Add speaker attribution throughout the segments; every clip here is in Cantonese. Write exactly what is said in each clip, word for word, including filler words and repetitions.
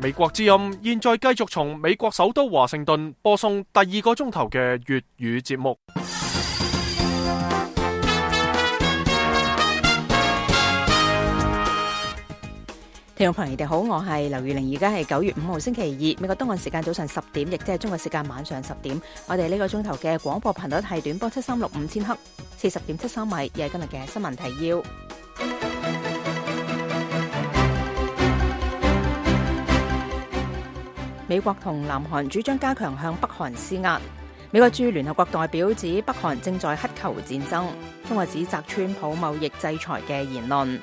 Speaker 1: 美國之音現在繼續從美國首都華盛頓播送第二個鐘頭嘅粵語節目。
Speaker 2: 聽眾朋友，你哋好，我係劉玉玲，而家係九月五號星期二，美國東岸時間早上十點，亦即係中國時間晚上十點。我哋呢個鐘頭嘅廣播頻率係短波七三六五千赫，四十點七三米，又係今日嘅新聞提要。美國同南韓主張加強向北韓施壓。美國駐聯合國代表指北韓正在乞求戰爭。中國指責川普貿易制裁嘅言論。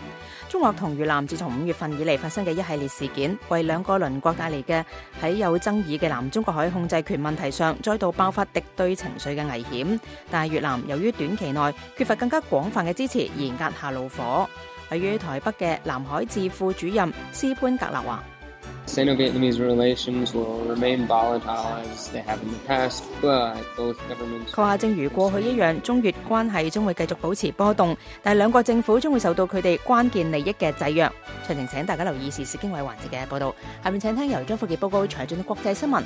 Speaker 2: 中國同越南自從五月份以嚟發生嘅一系列事件，為兩個鄰國帶嚟嘅喺有爭議嘅南中國海控制權問題上再度爆發敵對情緒嘅危險。但係越南由於短期內缺乏更加廣泛嘅支持而壓下怒火。位於台北嘅南海智庫主任施潘格勒話
Speaker 3: Sino-Vietnamese relations will remain volatile as they have in the past, but both governments...
Speaker 2: 佢話正如過去一樣，中越關係將會繼續保持波動，但係兩國政府將會受到佢哋關鍵利益嘅制約。詳情請大家留意時事經緯環節嘅報道。下面請聽由張富傑報告詳盡嘅國際新聞。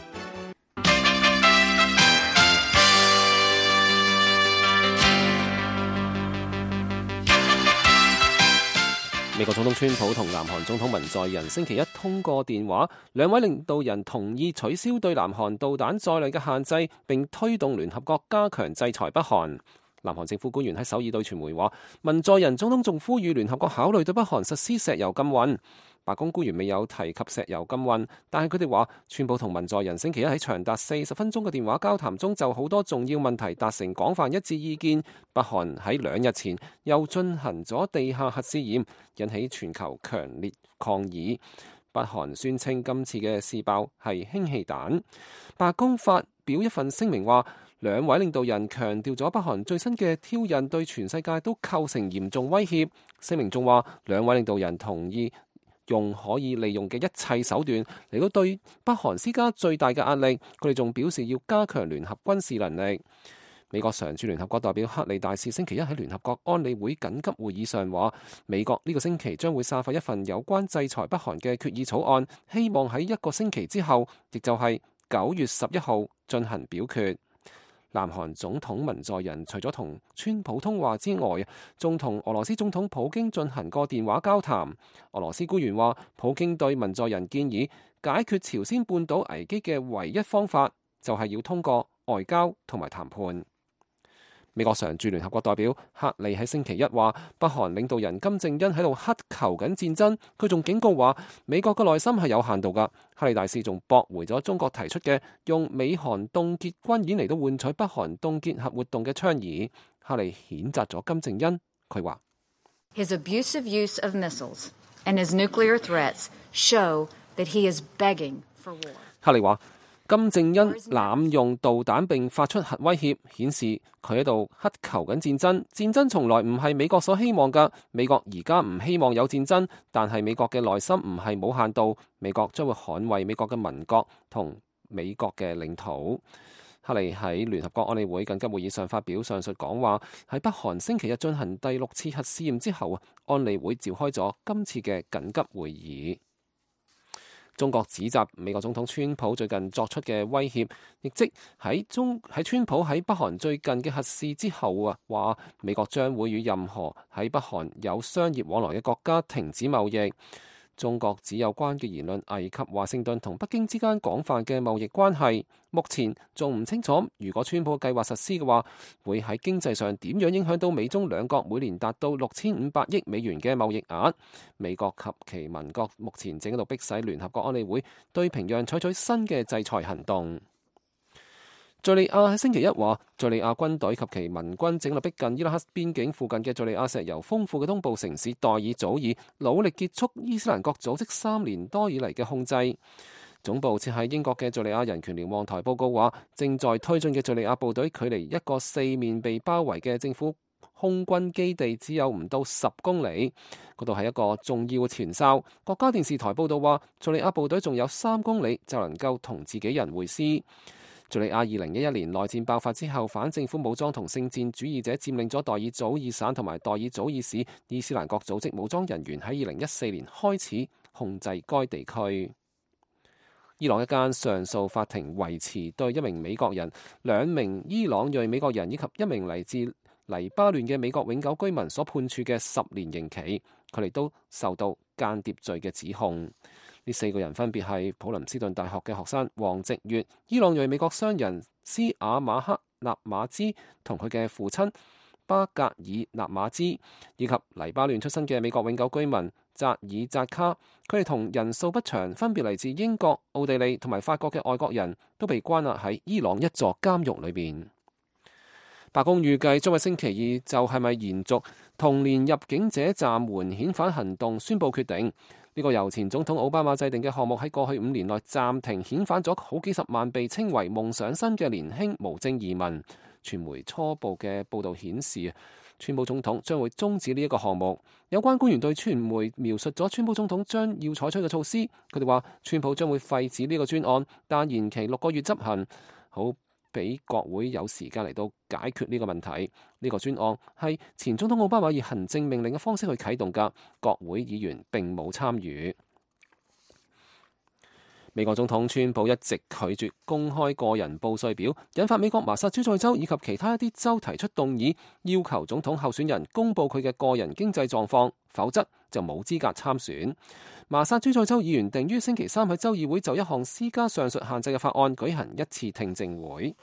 Speaker 4: 美國總統川普同南韓總統文在寅星期一通過電話，兩位領導人同意取消對南韓導彈載量嘅限制，並推動聯合國加強制裁北韓。南韓政府官員喺首爾對傳媒話，文在寅總統仲呼籲聯合國考慮對北韓實施石油禁運。白宮官員未有提及石油禁運，但係佢哋話，川普同文在寅星期一喺長達四十分鐘嘅電話交談中，就好多重要問題達成廣泛一致意見。北韓喺兩日前又進行咗地下核試驗，引起全球強烈抗議。北韓宣稱今次嘅試爆係氫氣彈。白宮發表一份聲明話，兩位領導人強調咗北韓最新嘅挑釁對全世界都構成嚴重威脅。聲明仲話，兩位領導人同意用可以利用嘅一切手段嚟到對北韓施加最大嘅壓力。佢哋仲表示要加強聯合軍事能力。美國常駐聯合國代表克里大使星期一喺聯合國安理會緊急會議上話，美國呢個星期將會散發一份有關制裁北韓嘅決議草案，希望喺一個星期之後，亦就係九月十一號進行表決。南韓總統文在寅除咗同川普通話之外，仲同俄羅斯總統普京進行過電話交談。俄羅斯官員話，普京對文在寅建議解決朝鮮半島危機嘅唯一方法，就係要通過外交同埋談判。美國常駐聯合國代表克利喺星期一話，北韓領導人金正恩喺度乞求緊戰爭。佢仲警告話，美國嘅耐心係有限度㗎。克利大使仲駁回咗中國提出嘅用美韓凍結軍演嚟到換取北韓凍結核活動嘅倡議。克利譴責咗金正恩，佢話
Speaker 5: His abusive use of missiles and his nuclear threats show that he is begging for war.
Speaker 4: 克利話，金正恩濫用導彈並發出核威脅，顯示佢喺度乞求緊戰爭。戰爭從來唔係美國所希望㗎。美國而家唔希望有戰爭，但係美國嘅耐心唔係冇限度。美國將會捍衛美國嘅民國同美國嘅領土。克利喺聯合國安理會緊急會議上發表上述講話，喺北韓星期日進行第六次核試驗之後，安理會召開咗今次嘅緊急會議。中國指責美國總統川普最近作出嘅威脅，亦即喺中喺川普喺北韓最近嘅核試之後啊，話美國將會與任何喺北韓有商業往來嘅國家停止貿易。中國指有關嘅言論危及華盛頓同北京之間廣泛嘅貿易關係。目前仲唔清楚，如果川普計劃實施嘅話，會喺經濟上點樣影響到美中兩國每年達到六千五百億美元嘅貿易額。美國及其盟國目前正喺度迫使聯合國安理會對平壤採取新嘅制裁行動。敘利亞喺星期一話，敘利亞軍隊及其盟軍正喺度逼近伊拉克邊境附近嘅敘利亞石油豐富嘅東部城市代爾祖爾，努力結束伊斯蘭國組織三年多以嚟嘅控制。總部設喺英國嘅敘利亞人權瞭望台報告話，正在推進嘅敘利亞部隊距離一個四面被包圍嘅政府空軍基地只有唔到十公里，嗰度係一個重要嘅前哨。國家電視台報道話，敘利亞部隊仲有三公里就能夠同自己人會師。敘利亞二零一一年內戰爆發之後，反政府武裝同聖戰主義者佔領咗代爾祖爾省同埋代爾祖爾市，伊斯蘭國組織武裝人員喺二零一四年開始控制該地區。伊朗一間上訴法庭維持對一名美國人、兩名伊朗裔美國人以及一名嚟自黎巴嫩嘅美國永久居民所判處嘅十年刑期，佢哋都受到間諜罪嘅指控。呢四個人分別係普林斯頓大學嘅學生王直月、伊朗裔美國商人斯瓦馬克納馬茲同佢嘅父親巴格爾納馬茲，以及黎巴嫩出身嘅美國永久居民扎爾扎卡。佢哋同人數不詳，分別嚟自英國、奧地利同埋法國嘅外國人都被關押喺伊朗一座監獄裏邊。白宮預計將喺星期二就係咪延續同年入境者暫緩遣返行動宣佈決定。呢個由前總統奧巴馬制定嘅項目喺過去五年內暫停遣返咗好幾十萬被稱為夢想生嘅年輕無證移民。傳媒初步嘅報導顯示，川普總統將會終止呢一個項目。有關官員對傳媒描述咗川普總統將要採取嘅措施，佢哋話川普將會廢止呢個專案，但延期六個月執行，好俾國會有時間嚟到解決呢個問題。呢個專案係前總統奧巴馬以行政命令嘅方式去啟動㗎，國會議員並冇參與。美國總統川普一直拒絕公開個人報稅表，引發美國麻薩諸塞州以及其他一啲州提出動議，要求總統候選人公佈佢嘅個人經濟狀況，否則就冇資格參選。麻薩諸塞州議員定於星期三喺州議會就一項施加上述限制嘅法案舉行一次聽證會。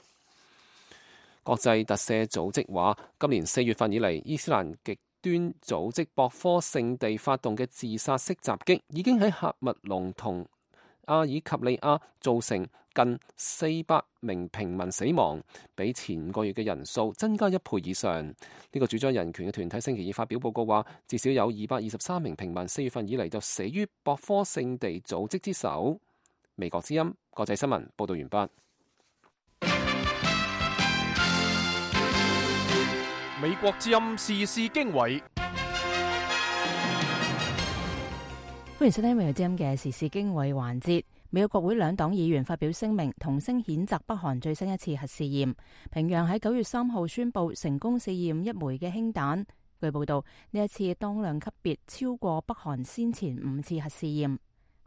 Speaker 4: 國際特赦組織話，今年四月份以嚟，伊斯蘭極端組織博科聖地發動嘅自殺式襲擊，已經喺喀麥隆同阿爾及利亞造成近四百名平民死亡，比前個月嘅人數增加一倍以上。呢、這個主張人權嘅團體星期二發表報告話，至少有二百二十三名平民四月份以嚟就死於博科聖地組織之手。美國之音國際新聞報道完畢。
Speaker 1: 美國之音時事經緯。
Speaker 2: 歡迎收聽美國之音嘅時事經緯環節。美國國會兩黨議員發表聲明，同聲譴責北韓最新一次核試驗。平壤喺九月三號宣布成功試驗一枚嘅氫彈。據報道，呢一次當量級別超過北韓先前五次核試驗。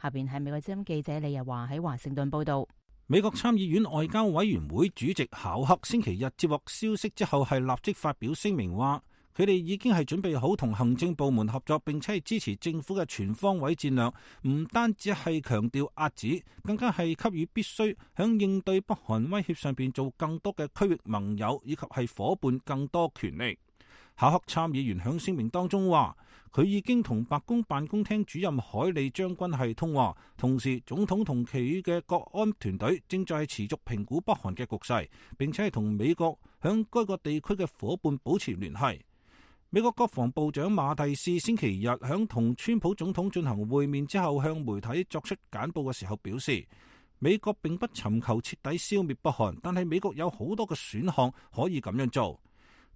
Speaker 2: 下邊係美國之音記者李日華喺華盛頓報道。
Speaker 6: 美國參議院外交委員會主席考克星期日接獲消息之後，係立即發表聲明話，佢哋已經係準備好同行政部門合作，並且係支持政府嘅全方位戰略，唔單止係強調遏止，更加係給予必須響應對北韓威脅上邊做更多嘅區域盟友以及係夥伴更多權力。考克參議員響聲明當中話，佢已經同白宮辦公廳主任海利將軍係通話，同時總統同其餘嘅國安團隊正在持續評估北韓嘅局勢，並且係同美國響該個地區嘅夥伴保持聯繫。美國國防部長馬蒂斯星期日響同川普總統進行會面之後，向媒體作出簡報嘅時候表示，美國並不尋求徹底消滅北韓，但係美國有好多嘅選項可以咁樣做。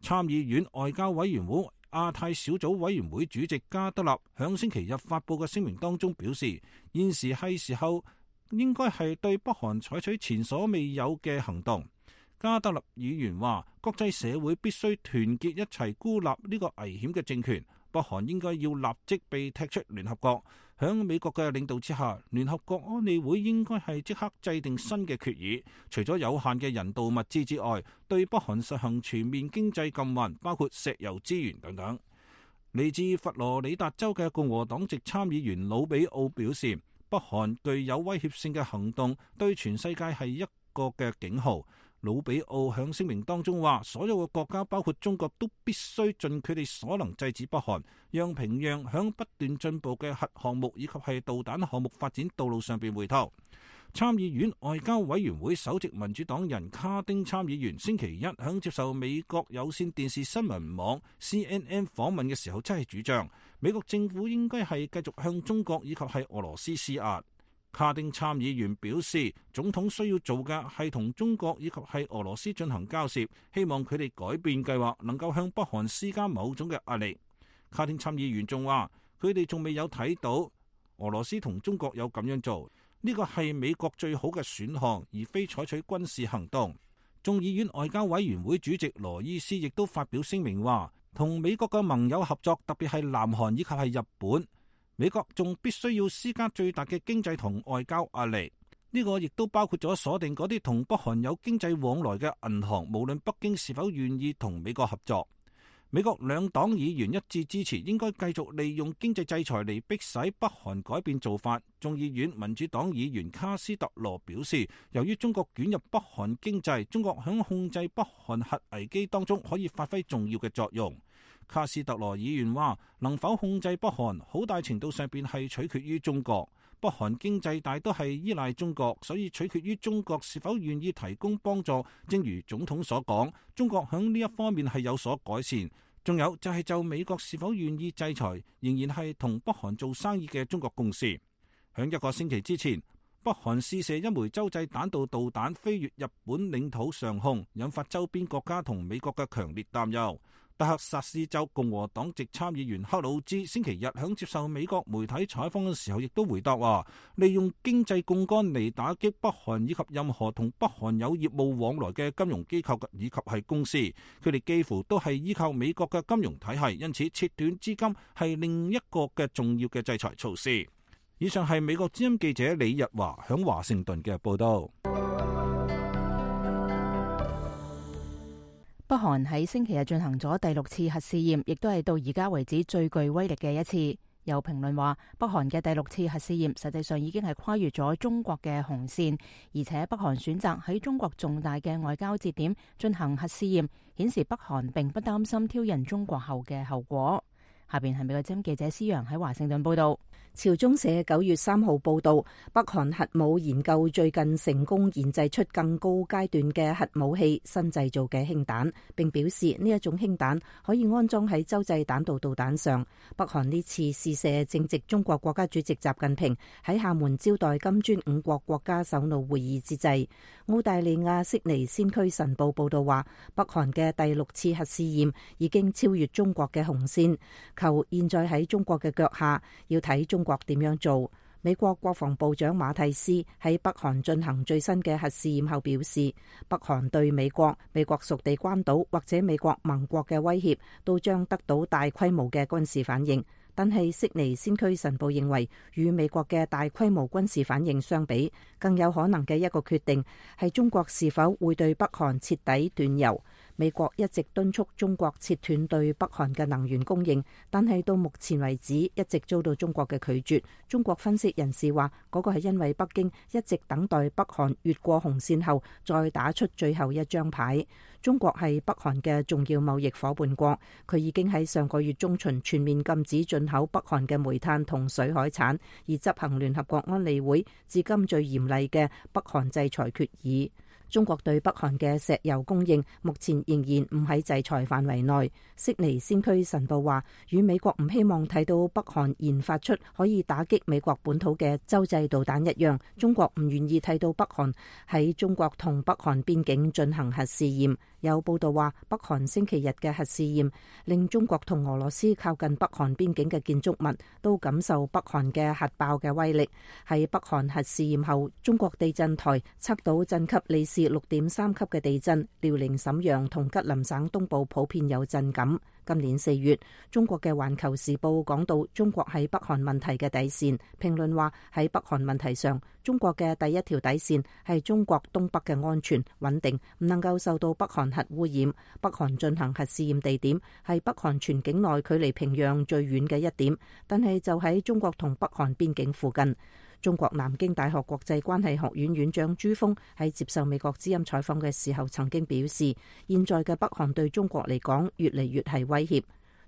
Speaker 6: 參議院外交委員會亞太小組委員會主席加德納響星期日發佈嘅聲明當中表示，現時係時候應該係對北韓採取前所未有嘅行動。加德納議員話，國際社會必須團結一齊孤立呢個危險嘅政權，北韓應該要立即被踢出聯合國。響美國嘅領導之下，聯合國安理會應該係即刻制定新嘅決議，除咗有限嘅人道物資之外，對北韓實行全面經濟禁運，包括石油資源等等。嚟自佛羅里達州嘅共和黨籍參議員魯比奧表示，北韓具有威脅性嘅行動對全世界係一個嘅警號。魯比奧響聲明當中話，所有嘅國家包括中國都必須盡佢哋所能制止北韓，讓平壤響不斷進步嘅核項目以及係導彈項目發展道路上邊回頭。參議院外交委員會首席民主黨人卡丁參議員星期一響接受美國有線電視新聞網 C N N 訪問嘅時候，真係主張美國政府應該係繼續向中國以及係俄羅斯施壓。卡丁參議員表示，總統需要做嘅係同中國以及係俄羅斯進行交涉，希望佢哋改變計劃，能夠向北韓施加某種嘅壓力。卡丁參議員仲話，佢哋仲未有睇到俄羅斯同中國有咁樣做，呢個係美國最好嘅選項，而非採取軍事行動。眾議院外交委員會主席羅伊斯亦都發表聲明話，同美國嘅盟友合作，特別係南韓以及係日本。美國仲必須要施加最大嘅經濟同外交壓力。呢個亦都包括咗鎖定嗰啲同北韓有經濟往來嘅銀行，無論北京是否願意同美國合作。美國兩黨議員一致支持應該繼續利用經濟制裁嚟迫使北韓改變做法。眾議院民主黨議員卡斯特羅表示，由於中國捲入北韓經濟，中國響控制北韓核危機當中可以發揮重要嘅作用。卡斯特羅議員話，能否控制北韓，好大程度上邊係取決於中國。北韓經濟大都係依賴中國，所以取決於中國是否願意提供幫助。正如總統所講，中國響呢一方面係有所改善。仲有就係就美國是否願意制裁，仍然係同北韓做生意嘅中國公司。響一個星期之前，北韓試射一枚洲際彈道導彈飛越日本領土上空，引發周邊國家同美國嘅強烈擔憂。德克薩斯州共和黨籍參議員克魯茲星期日響接受美國媒體採訪嘅時候，亦都回答話，利用經濟槓桿嚟打擊北韓以及任何同北韓有業務往來嘅金融機構以及係公司，佢哋幾乎都係依靠美國嘅金融體系，因此切斷資金係另一個嘅重要嘅制裁措施。以上係美國之音記者李日華響華盛頓嘅報道。
Speaker 2: 北韓喺星期日進行咗第六次核試驗，亦都係到而家為止最具威力嘅一次。有評論話，北韓嘅第六次核試驗實際上已經係跨越咗中國嘅紅線，而且北韓選擇喺中國重大嘅外交節點進行核試驗，顯示北韓並不擔心挑釁中國後嘅後果。下邊係美國之音記者施陽喺華盛頓報道。
Speaker 7: 朝中社九月三號報道，北韓核武研究最近成功研製出更高階段嘅核武器新製造嘅氫彈，並表示呢一種氫彈可以安裝喺洲際彈道導彈上。北韓呢次試射正值中國國家主席習近平喺廈門招待金磚五國國家首腦會議之際。澳大利亞悉尼先驅晨報報道話，北韓嘅第六次核試驗已經超越中國嘅紅線，求現在喺中國嘅腳下，要睇中國點樣做。美國國防部長馬蒂斯喺北韓進行最新嘅核試驗後表示，北韓對美國、美國屬地關島或者美國盟國嘅威脅都將得到大規模嘅軍事反應。但係悉尼先驅晨報認為，與美國嘅大規模軍事反應相比，更有可能嘅一個決定係中國是否會對北韓徹底斷油。美國一直敦促中國切斷對北韓嘅能源供應，但係到目前為止一直遭到中國嘅拒絕。中國分析人士話，嗰個係因為北京一直等待北韓越過紅線後再打出最後一張牌。中國係北韓嘅重要貿易夥伴國，佢已經喺上個月中旬全面禁止進口北韓嘅煤炭同水海產，而執行聯合國安理會至今最嚴厲嘅北韓制裁決議。中國對北韓嘅石油供應目前仍然唔喺制裁範圍內。悉尼先驅晨報話，與美國唔希望睇到北韓研發出可以打擊美國本土嘅洲際導彈一樣，中國唔願意睇到北韓喺中國同北韓邊境進行核試驗。有報道話，北韓星期日嘅核試驗令中國同俄羅斯靠近北韓邊境嘅建築物都感受北韓嘅核爆嘅威力。喺北韓核試驗後，中國地震台測到震級里氏六點三級嘅地震，遼寧瀋陽同吉林省東部普遍有震感。今年四月，中國嘅《環球時報》講到中國喺北韓問題嘅底線，評論話喺北韓問題上，中國嘅第一條底線係中國東北嘅安全穩定，唔能夠受到北韓核污染。北韓進行核試驗地點係北韓全境內距離平壤最遠嘅一點，但係就喺中國同北韓邊境附近。中國南京大學國際關係學院院長朱鋒喺接受美國之音採訪嘅時候曾經表示，現在嘅北韓對中國嚟講越嚟越係威脅。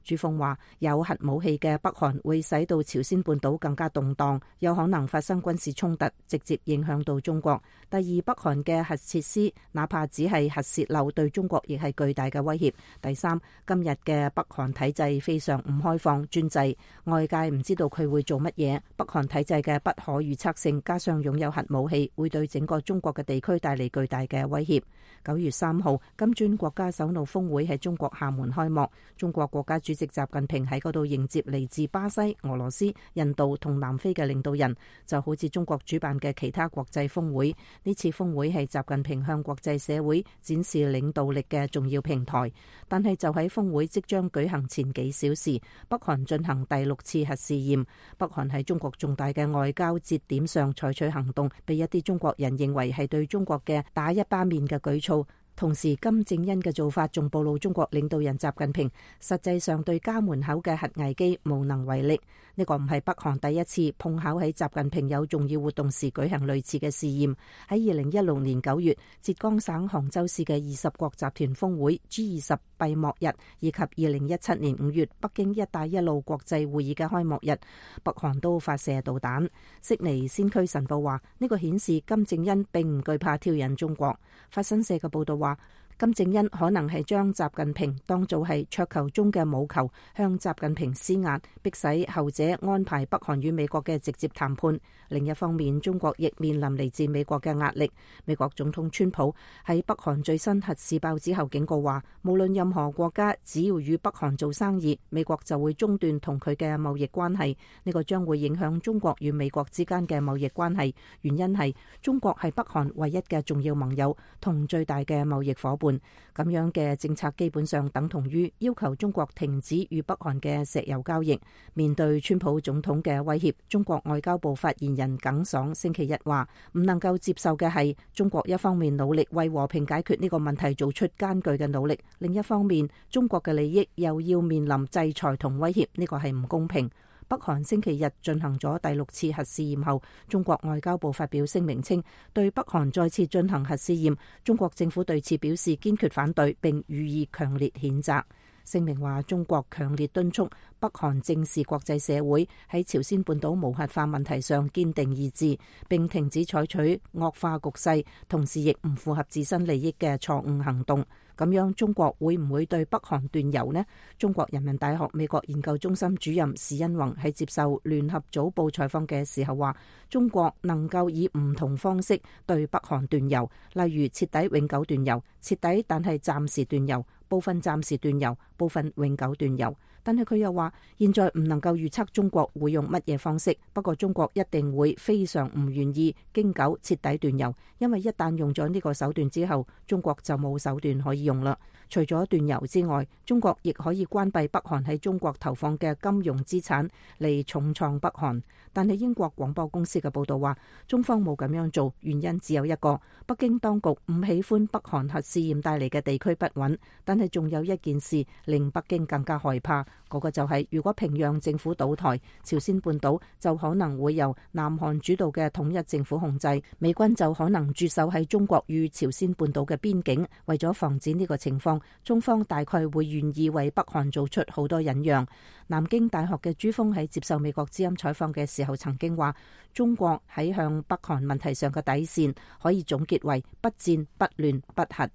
Speaker 7: 朱鋒話，有核武器嘅北韓會使到朝鮮半島更加動盪，有可能發生軍事衝突，直接影響到中國。第二，北韓嘅核設施哪怕只係核洩漏，對中國亦係巨大嘅威脅。第三，今日嘅北韓體制非常唔開放專制，外界唔知道佢會做乜嘢。北韓體制嘅不可預測性，加上擁有核武器，會對整個中國嘅地區帶嚟巨大嘅威脅。九月三號，金磚國家首腦峰會喺中國廈門開幕，中國國家主席習近平喺嗰度迎接嚟自巴西、俄羅斯、印度同南非嘅領導人，就好似中國主辦嘅其他國際峰會。呢次峰會係習近平向國際社會展示領導力嘅重要平台。但係就喺峰會即將舉行前幾小時，北韓進行第六次核試驗。北韓喺中國重大嘅外交節點上採取行動，被一啲中國人認為係對中國嘅打一巴面嘅舉措。同時，金正恩嘅做法仲暴露中國領導人習近平實際上對家門口嘅核危機無能為力。呢個唔係北韓第一次碰巧喺習近平有重要活動時舉行類似嘅試驗。喺二零一六年九月，浙江省杭州市嘅二十國集團峰會 G 二十閉幕日，以及二零一七年五月北京一帶一路國際會議嘅開幕日，北韓都發射導彈。悉尼先驅晨報話，呢個顯示金正恩並唔懼怕挑釁中國。法新社嘅報道話，金正恩可能係將習近平當做係桌球中嘅母球，向習近平施壓，迫使後者安排北韓與美國嘅直接談判。另一方面，中國亦面臨嚟自美國嘅壓力。美國總統川普喺北韓最新核試爆之後警告話，無論任何國家只要與北韓做生意，美國就會中斷同佢嘅貿易關係。呢個將會影響中國與美國之間嘅貿易關係，原因係中國係北韓唯一嘅重要盟友同最大嘅貿易夥伴。咁樣嘅政策基本上等同於要求中國停止與北韓嘅石油交易。面對川普總統嘅威脅，中國外交部發言人耿爽星期一話，唔能夠接受嘅係中國一方面努力為和平解決呢個問題做出艱巨嘅努力，另一方面中國嘅利益又要面臨制裁同威脅，呢個係唔公平。北韓星期日進行咗第六次核試驗後，中國外交部發表聲明稱，對北韓再次進行核試驗，中國政府對此表示堅決反對並予以強烈譴責。聲明話，中國強烈敦促北韓正視國際社會喺朝鮮半島無核化問題上堅定意志，並停止採取惡化局勢，同時亦唔符合自身利益嘅錯誤行動。咁樣中國會唔會對北韓斷油呢？中國人民大學美國研究中心主任史恩宏喺接受聯合早報採訪嘅時候話，中國能夠以唔同方式對北韓斷油，例如徹底永久斷油、徹底但係暫時斷油、部分暫時斷油、部分永久斷油。但係佢又話，現在唔能夠預測中國會用乜嘢方式，不過中國一定會非常唔願意經久徹底斷油，因為一旦用咗呢個手段之後，中國就冇手段可以用啦。除咗斷油之外，中國亦可以關閉北韓喺中國投放嘅金融資產嚟重創北韓。但係英國廣播公司嘅報道話，中方冇咁樣做，原因只有一個，北京當局唔喜歡北韓核試驗帶嚟嘅地區不穩。但係仲有一件事令北京更加害怕，嗰個就係如果平壤政府倒台，朝鮮半島就可能會由南韓主導嘅統一政府控制，美軍就可能駐守喺中國與朝鮮半島嘅邊境。為咗防止呢個情況，中方大概會願意為北韓做出好多忍讓。南京大學嘅朱鋒喺接受美國之音採訪嘅時候曾經話，中國喺向北韓問題上嘅底線可以總結為不戰不亂不核。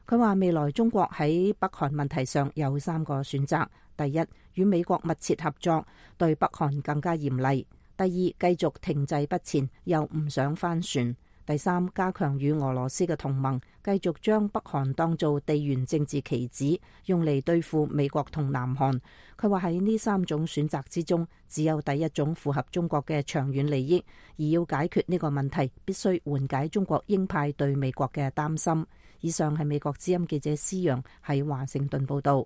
Speaker 7: 佢話未來中國喺北韓問題上有三個選擇：第一，與美國密切合作，對北韓更加嚴厲；第二，繼續停滯不前，又唔想翻船；第三，加強與俄羅斯嘅同盟，繼續將北韓當做地緣政治棋子，用嚟對付美國同南韓。佢話喺呢三種選擇之中，只有第一種符合中國嘅長遠利益，而要解決呢個問題，必須緩解中國鷹派對美國嘅擔心。以上係美國之音記者施陽喺華盛頓報道。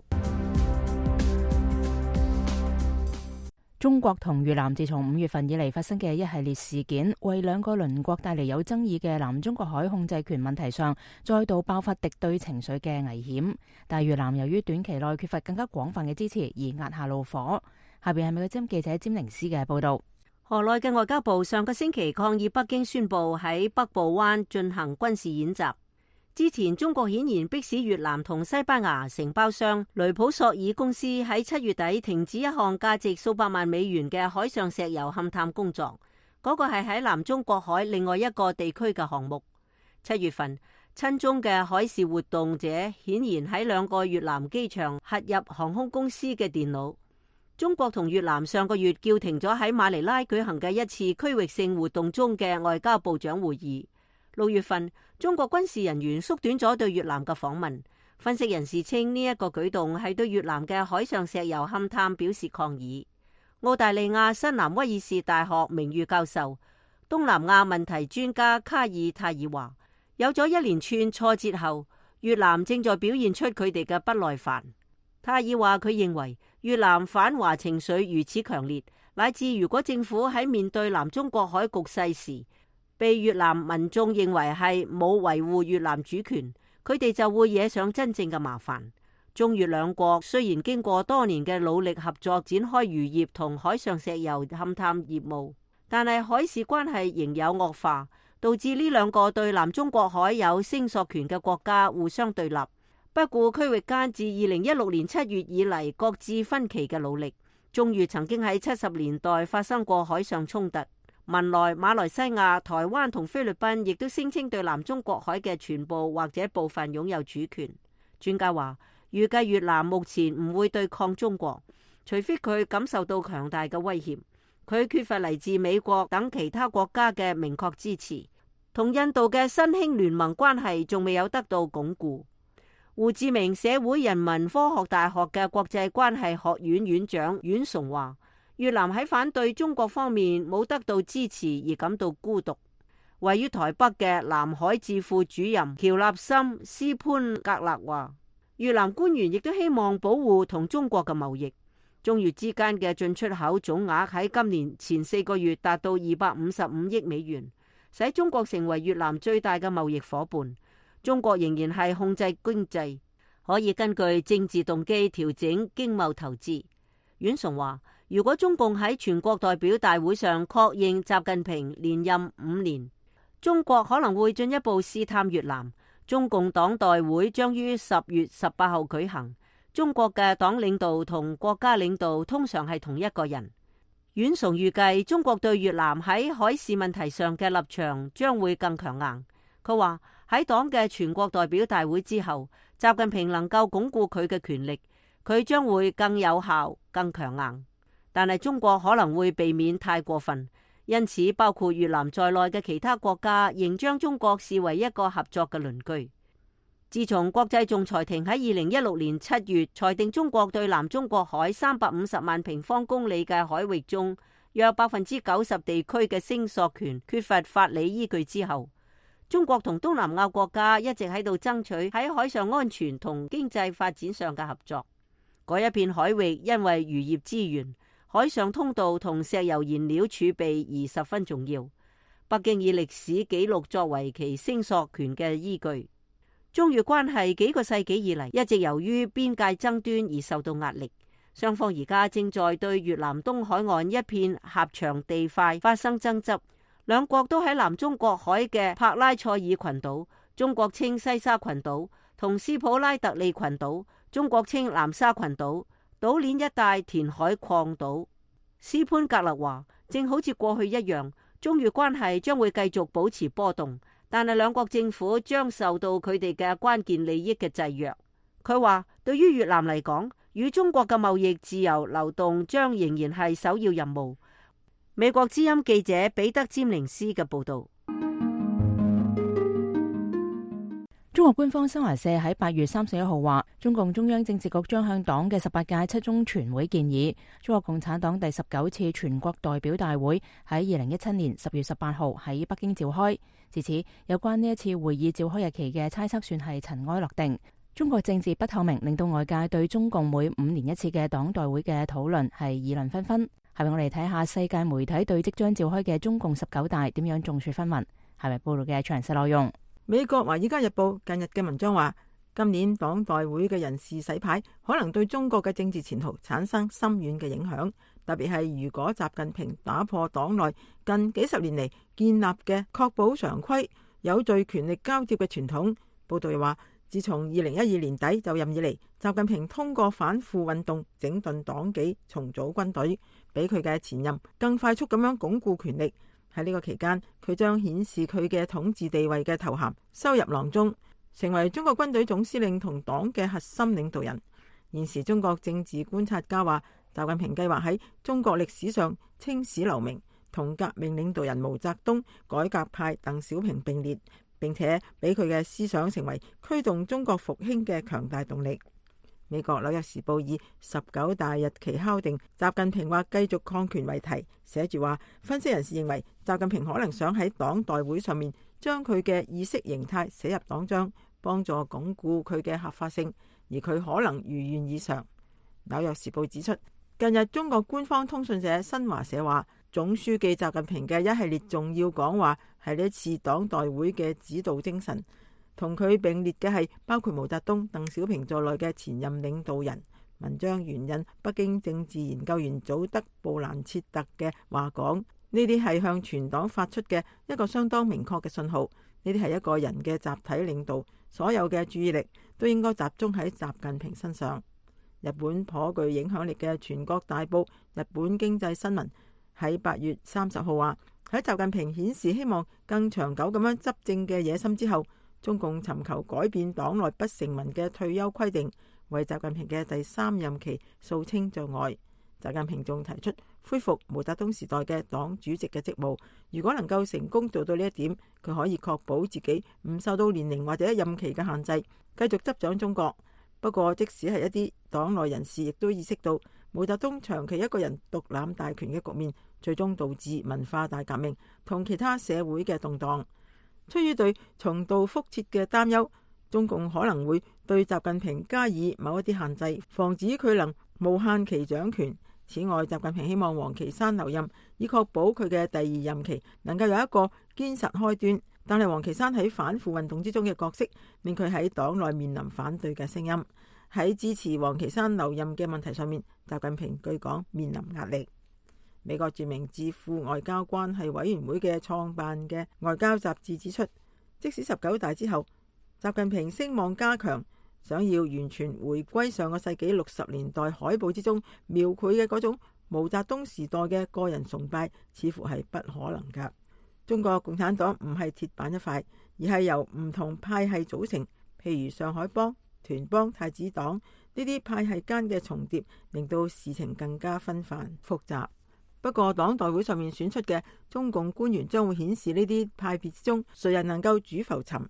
Speaker 2: 中國同越南自從五月份以嚟發生嘅一系列事件，為兩個鄰國帶嚟有爭議嘅南中國海控制權問題上，再度爆發敵對情緒嘅危險。但越南由於短期內缺乏更加廣泛嘅支持，而壓下怒火。下邊係美國之音記者詹寧斯嘅報道。
Speaker 8: 河內嘅外交部上個星期抗議北京宣布喺北部灣進行軍事演習。之前中國顯然迫使越南同西班牙承包商雷普索爾公司喺七月底停止一項價值數百萬美元嘅海上石油勘探工作，嗰、那個係喺南中國海另外一個地區嘅項目。七月份，親中嘅海事活動者顯然喺兩個越南機場核入航空公司嘅電腦。中國同越南上個月叫停咗喺馬尼拉舉行嘅一次區域性活動中嘅外交部長會議。六月份，中國軍事人員縮短咗對越南嘅訪問，分析人士稱呢一個舉動係對越南嘅海上石油勘探表示抗議。澳大利亞新南威爾士大學名譽教授、東南亞問題專家卡爾泰爾話，有咗一連串挫折後，越南正在表現出佢哋嘅不耐煩。泰爾話佢認為越南反華情緒如此強烈，乃至如果政府喺面對南中國海局勢時，被越南民眾認為係冇維護越南主權，佢哋就會惹上真正嘅麻煩。中越兩國雖然經過多年嘅努力合作展開漁業同海上石油勘探業務，但係海事關係仍有惡化，導致呢兩個對南中國海有聲索權嘅國家互相對立，不顧區域間自二零一六年七月以嚟各自分歧嘅努力。中越曾經喺七十年代發生過海上衝突，文萊、馬來西亞、台灣同菲律賓亦都聲稱對南中國海嘅全部或者部分擁有主權。專家話，預計越南目前唔會對抗中國，除非佢感受到強大嘅威脅。佢缺乏嚟自美國等其他國家嘅明確支持，同印度嘅新興聯盟關係仲未有得到鞏固。胡志明社會人文科學大學嘅國際關係學院院長阮崇話，越南喺反對中國方面冇得到支持而感到孤獨。位於台北嘅南海智庫主任喬納森斯潘格勒話，越南官員亦都希望保護同中國嘅貿易。中越之間嘅進出口總額喺今年前四個月達到二百五十五億美元，使中國成為越南最大嘅貿易夥伴。中國仍然係控制經濟，可以根據政治動機調整經貿投資。阮崇話，如果中共喺全國代表大會上確認習近平連任五年，中國可能會進一步試探越南。中共黨代會將於十月十八號舉行。中國嘅黨領導同國家領導通常係同一個人。阮崇預計中國對越南喺海事問題上嘅立場將會更強硬。佢話喺黨嘅全國代表大會之後，習近平能夠鞏固佢嘅權力，佢將會更有效、更強硬。但係中國可能會避免太過分，因此包括越南在內嘅其他國家仍將中國視為一個合作嘅鄰居。自從國際仲裁庭喺二零一六年七月裁定中國對南中國海三百五十萬平方公里嘅海域中約百分之九十地區嘅聲索權缺乏法理依據之後，中國同東南亞國家一直喺度爭取喺海上安全同經濟發展上嘅合作。嗰一片海域因為漁業資源、海上通道同石油燃料儲備而十分重要。北京以歷史記錄作為其聲索權嘅依據。中越關係幾個世紀以嚟一直由於邊界爭端而受到壓力，雙方而家正在對越南東海岸一片狹長地塊發生爭執。兩國都喺南中國海嘅帕拉塞爾群島，中國稱西沙群島，同斯普拉特利群島，中國稱南沙群島，島鏈一帶填海礦島。斯潘格勒話，正好似過去一樣，中越關係將會繼續保持波動，但係兩國政府將受到佢哋嘅關鍵利益嘅制約。佢話，對於越南嚟講，與中國嘅貿易自由流動將仍然係首要任務。美國之音記者彼得詹寧斯嘅報道。
Speaker 2: 中國官方新華社喺八月三十一號話，中共中央政治局將向黨嘅十八屆七中全會建議，中國共產黨第十九次全國代表大會喺二零一七年十月十八號喺北京召開。自此，有關呢一次會議召開日期嘅猜測算係塵埃落定。中國政治不透明，令到外界對中共每五年一次嘅黨代會嘅討論係議論紛紛。係咪我哋睇下世界媒體對即將召開嘅中共十九大點樣眾說紛紜？係咪報道嘅詳細內容？
Speaker 9: 美國《華爾街日報》近日嘅文章話，今年黨代會嘅人事洗牌可能對中國嘅政治前途產生深遠嘅影響，特別係如果習近平打破黨內近幾十年嚟建立嘅確保常規、有序權力交接嘅傳統。報道又話，自從二零一二年底就任以嚟，習近平通過反腐運動整頓黨紀、重組軍隊，比佢嘅前任更快速咁樣鞏固權力。喺呢個期間，佢將顯示佢嘅統治地位嘅頭銜收入囊中，成為中國軍隊總司令同黨嘅核心領導人。現時中國政治觀察家話，習近平計劃喺中國歷史上青史留名，同革命領導人毛澤東、改革派鄧小平並列，並且俾佢嘅思想成為驅動中國復興嘅強大動力。美國紐約時報以十九大日期敲定習近平或繼續抗權為題，寫住話，分析人士認為習近平可能想喺黨代會上面將佢嘅意識形態寫入黨章，幫助鞏固佢嘅合法性，而佢可能如願以償。紐約時報指出，近日中國官方通訊社新華社話，總書記習近平嘅一系列重要講話係呢次黨代會嘅指導精神。同佢並列嘅係包括毛澤東、鄧小平在內嘅前任領導人。文章援引北京政治研究員祖德布蘭切特嘅話講，呢啲係向全黨發出嘅一個相當明確嘅信號。呢啲係一個人嘅集體領導，所有嘅注意力都應該集中喺習近平身上。日本頗具影響力嘅全國大報《日本經濟新聞》喺八月三十號話，喺習近平顯示希望更長久咁樣執政嘅野心之後，中共尋求改變黨內不成文嘅退休規定，為習近平嘅第三任期掃清障礙。習近平仲提出恢復毛澤東時代嘅黨主席嘅職務，如果能夠成功做到呢一點，佢可以確保自己唔受到年齡或者任期嘅限制，繼續執掌中國。不過，即使係一啲黨內人士，亦都意識到毛澤東長期一個人獨攬大權嘅局面，最終導致文化大革命同其他社會嘅動盪。出於對重蹈覆轍嘅擔憂，中共可能會對習近平加以某一啲限制，防止佢能無限期掌權。此外，習近平希望王岐山留任，以確保佢嘅第二任期能夠有一個堅實開端。但係王岐山喺反腐運動之中嘅角色，令佢喺黨內面臨反對嘅聲音。喺支持王岐山留任嘅問題上面，習近平據講面臨壓力。美國著名智庫外交關係委員會嘅創辦嘅外交雜誌指出，即使十九大之後習近平聲望加強，想要完全回歸上個世紀六十年代海報之中描繪嘅嗰種毛澤東時代嘅個人崇拜，似乎係不可能㗎。中國共產黨唔係鐵板一塊，而係由唔同派系組成，譬如上海幫、團幫、太子黨呢啲派系間嘅重疊，令到事情更加紛繁複雜。不過黨代會上面選出嘅中共官員將會顯示呢啲派別之中誰人能夠主浮沉。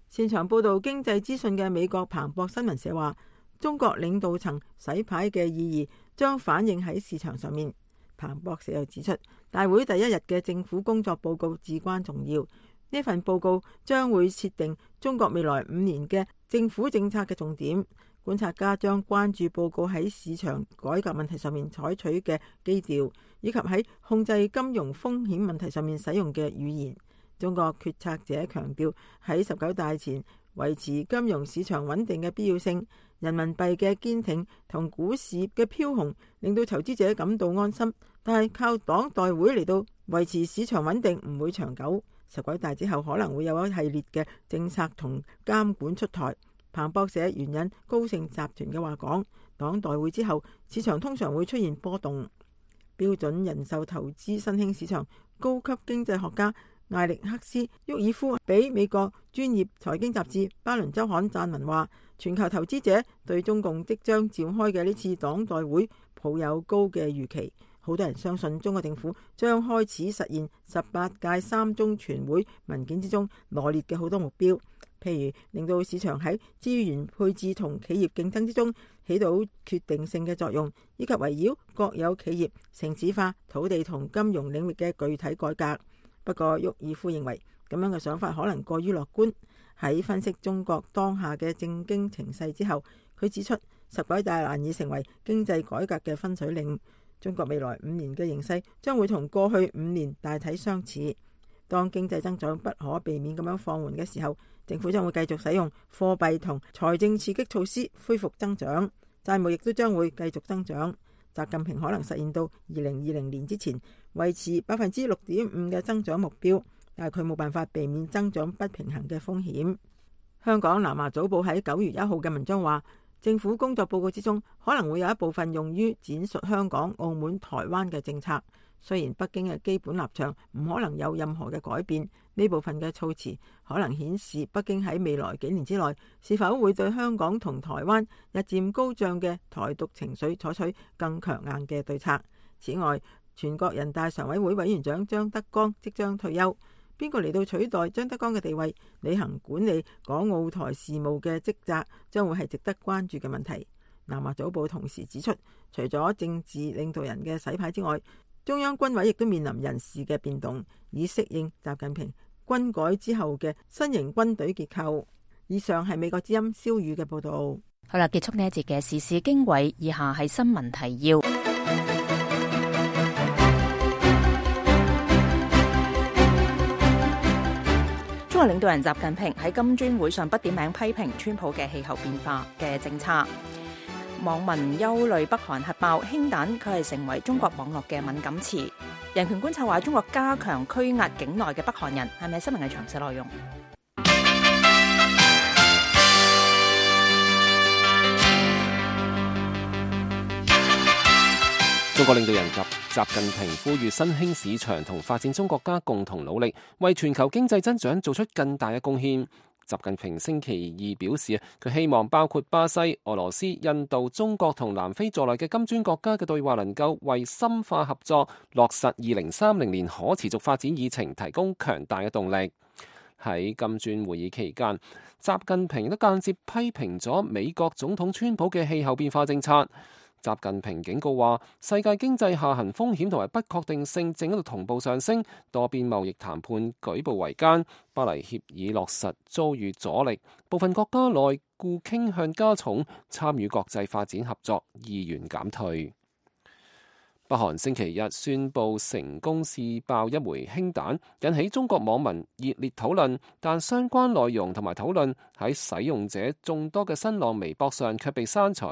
Speaker 9: 擅長報道經濟資訊嘅美國彭博新聞社話，中國領導層洗牌嘅意義將反映喺市場上面。彭博社又指出，大會第一日嘅政府工作報告至關重要，呢份報告將會設定中國未來五年嘅政府政策嘅重點。觀察家將關注報告喺市場改革問題上面採取嘅基調，以及喺控制金融風險問題上面使用嘅語言。中國決策者強調喺十九大前維持金融市場穩定嘅必要性。人民幣嘅堅挺同股市嘅飄紅令到投資者感到安心，但係靠黨代會嚟到維持市場穩定唔會長久。十九大之後可能會有一系列嘅政策同監管出台。彭博社援引高盛集團嘅話講，黨代會之後市場通常會出現波動。標準人壽投資新興市場高級經濟學家艾力克斯·沃爾夫俾美國專業財經雜誌《巴倫週刊》撰文話，全球投資者對中共即將召開嘅呢次黨代會抱有高嘅預期。好多人相信中國政府將開始實現十八屆三中全會文件之中羅列嘅好多目標，譬如令到市場喺資源配置同企業競爭之中起到決定性嘅作用，以及圍繞國有企業、城市化、土地同金融領域嘅具體改革。不過，沃爾夫認為咁樣嘅想法可能過於樂觀。喺分析中國當下嘅政經情勢之後，佢指出十九大難以成為經濟改革嘅分水嶺。中國未來五年嘅形勢將會同過去五年大體相似。當經濟增長不可避免咁樣放緩嘅時候，政府將會繼續使用貨幣同財政刺激措施恢復增長，債務亦都將會繼續增長。習近平可能實現到二零二零年之前維持百分之六點五嘅增長目標，但係佢冇辦法避免增長不平衡嘅風險。香港南華早報喺九月一號嘅文章話，政府工作報告之中可能會有一部分用於闡述香港、澳門、台灣嘅政策。雖然北京嘅基本立場唔可能有任何嘅改變，呢部分嘅措辭可能顯示北京喺未來幾年之內是否會對香港同台灣日漸高漲嘅台獨情緒採取更強硬嘅對策。此外，全國人大常委會委員長張德江即將退休，邊個嚟到取代張德江嘅地位，履行管理港澳台事務嘅職責，將會係值得關注嘅問題。南華早報同時指出，除咗政治領導人嘅洗牌之外，中央軍委亦都面臨人事嘅變動，以適應習近平軍改之後嘅新型軍隊結構。以上係美國之音蕭宇嘅報道。
Speaker 2: 好啦，結束呢一節嘅時事經緯，以下係新聞提要。中國領導人習近平喺金磚會上不點名批評川普嘅氣候變化嘅政策。網民憂慮北韓核爆氫彈，佢係成為中國網絡嘅敏感詞。人權觀察話，中國加強拘押境內嘅北韓人，係咪新聞嘅詳細內容？
Speaker 4: 中國領導人及習近平呼籲新興市場同發展中國家共同努力，為全球經濟增長做出更大嘅貢獻。習近平星期二表示，佢希望包括巴西、俄羅斯、印度、中國同南非在內嘅金磚國家嘅對話能夠為深化合作、落實二零三零年可持續發展議程提供強大嘅動力。喺金磚會議期間，習近平都間接批評咗美國總統川普嘅氣候變化政策。習近平警告話，世界經濟下行風險同埋不確定性正喺度同步上升，多邊貿易談判舉步維艱，巴黎協議落實遭遇阻力，部分國家內顧傾向加重，參與國際發展合作意願減退。北韓星期日宣布成功試爆一枚氫彈，引起中國網民熱烈討論，但相關內容同埋討論喺使用者眾多嘅新浪微博上卻被刪除。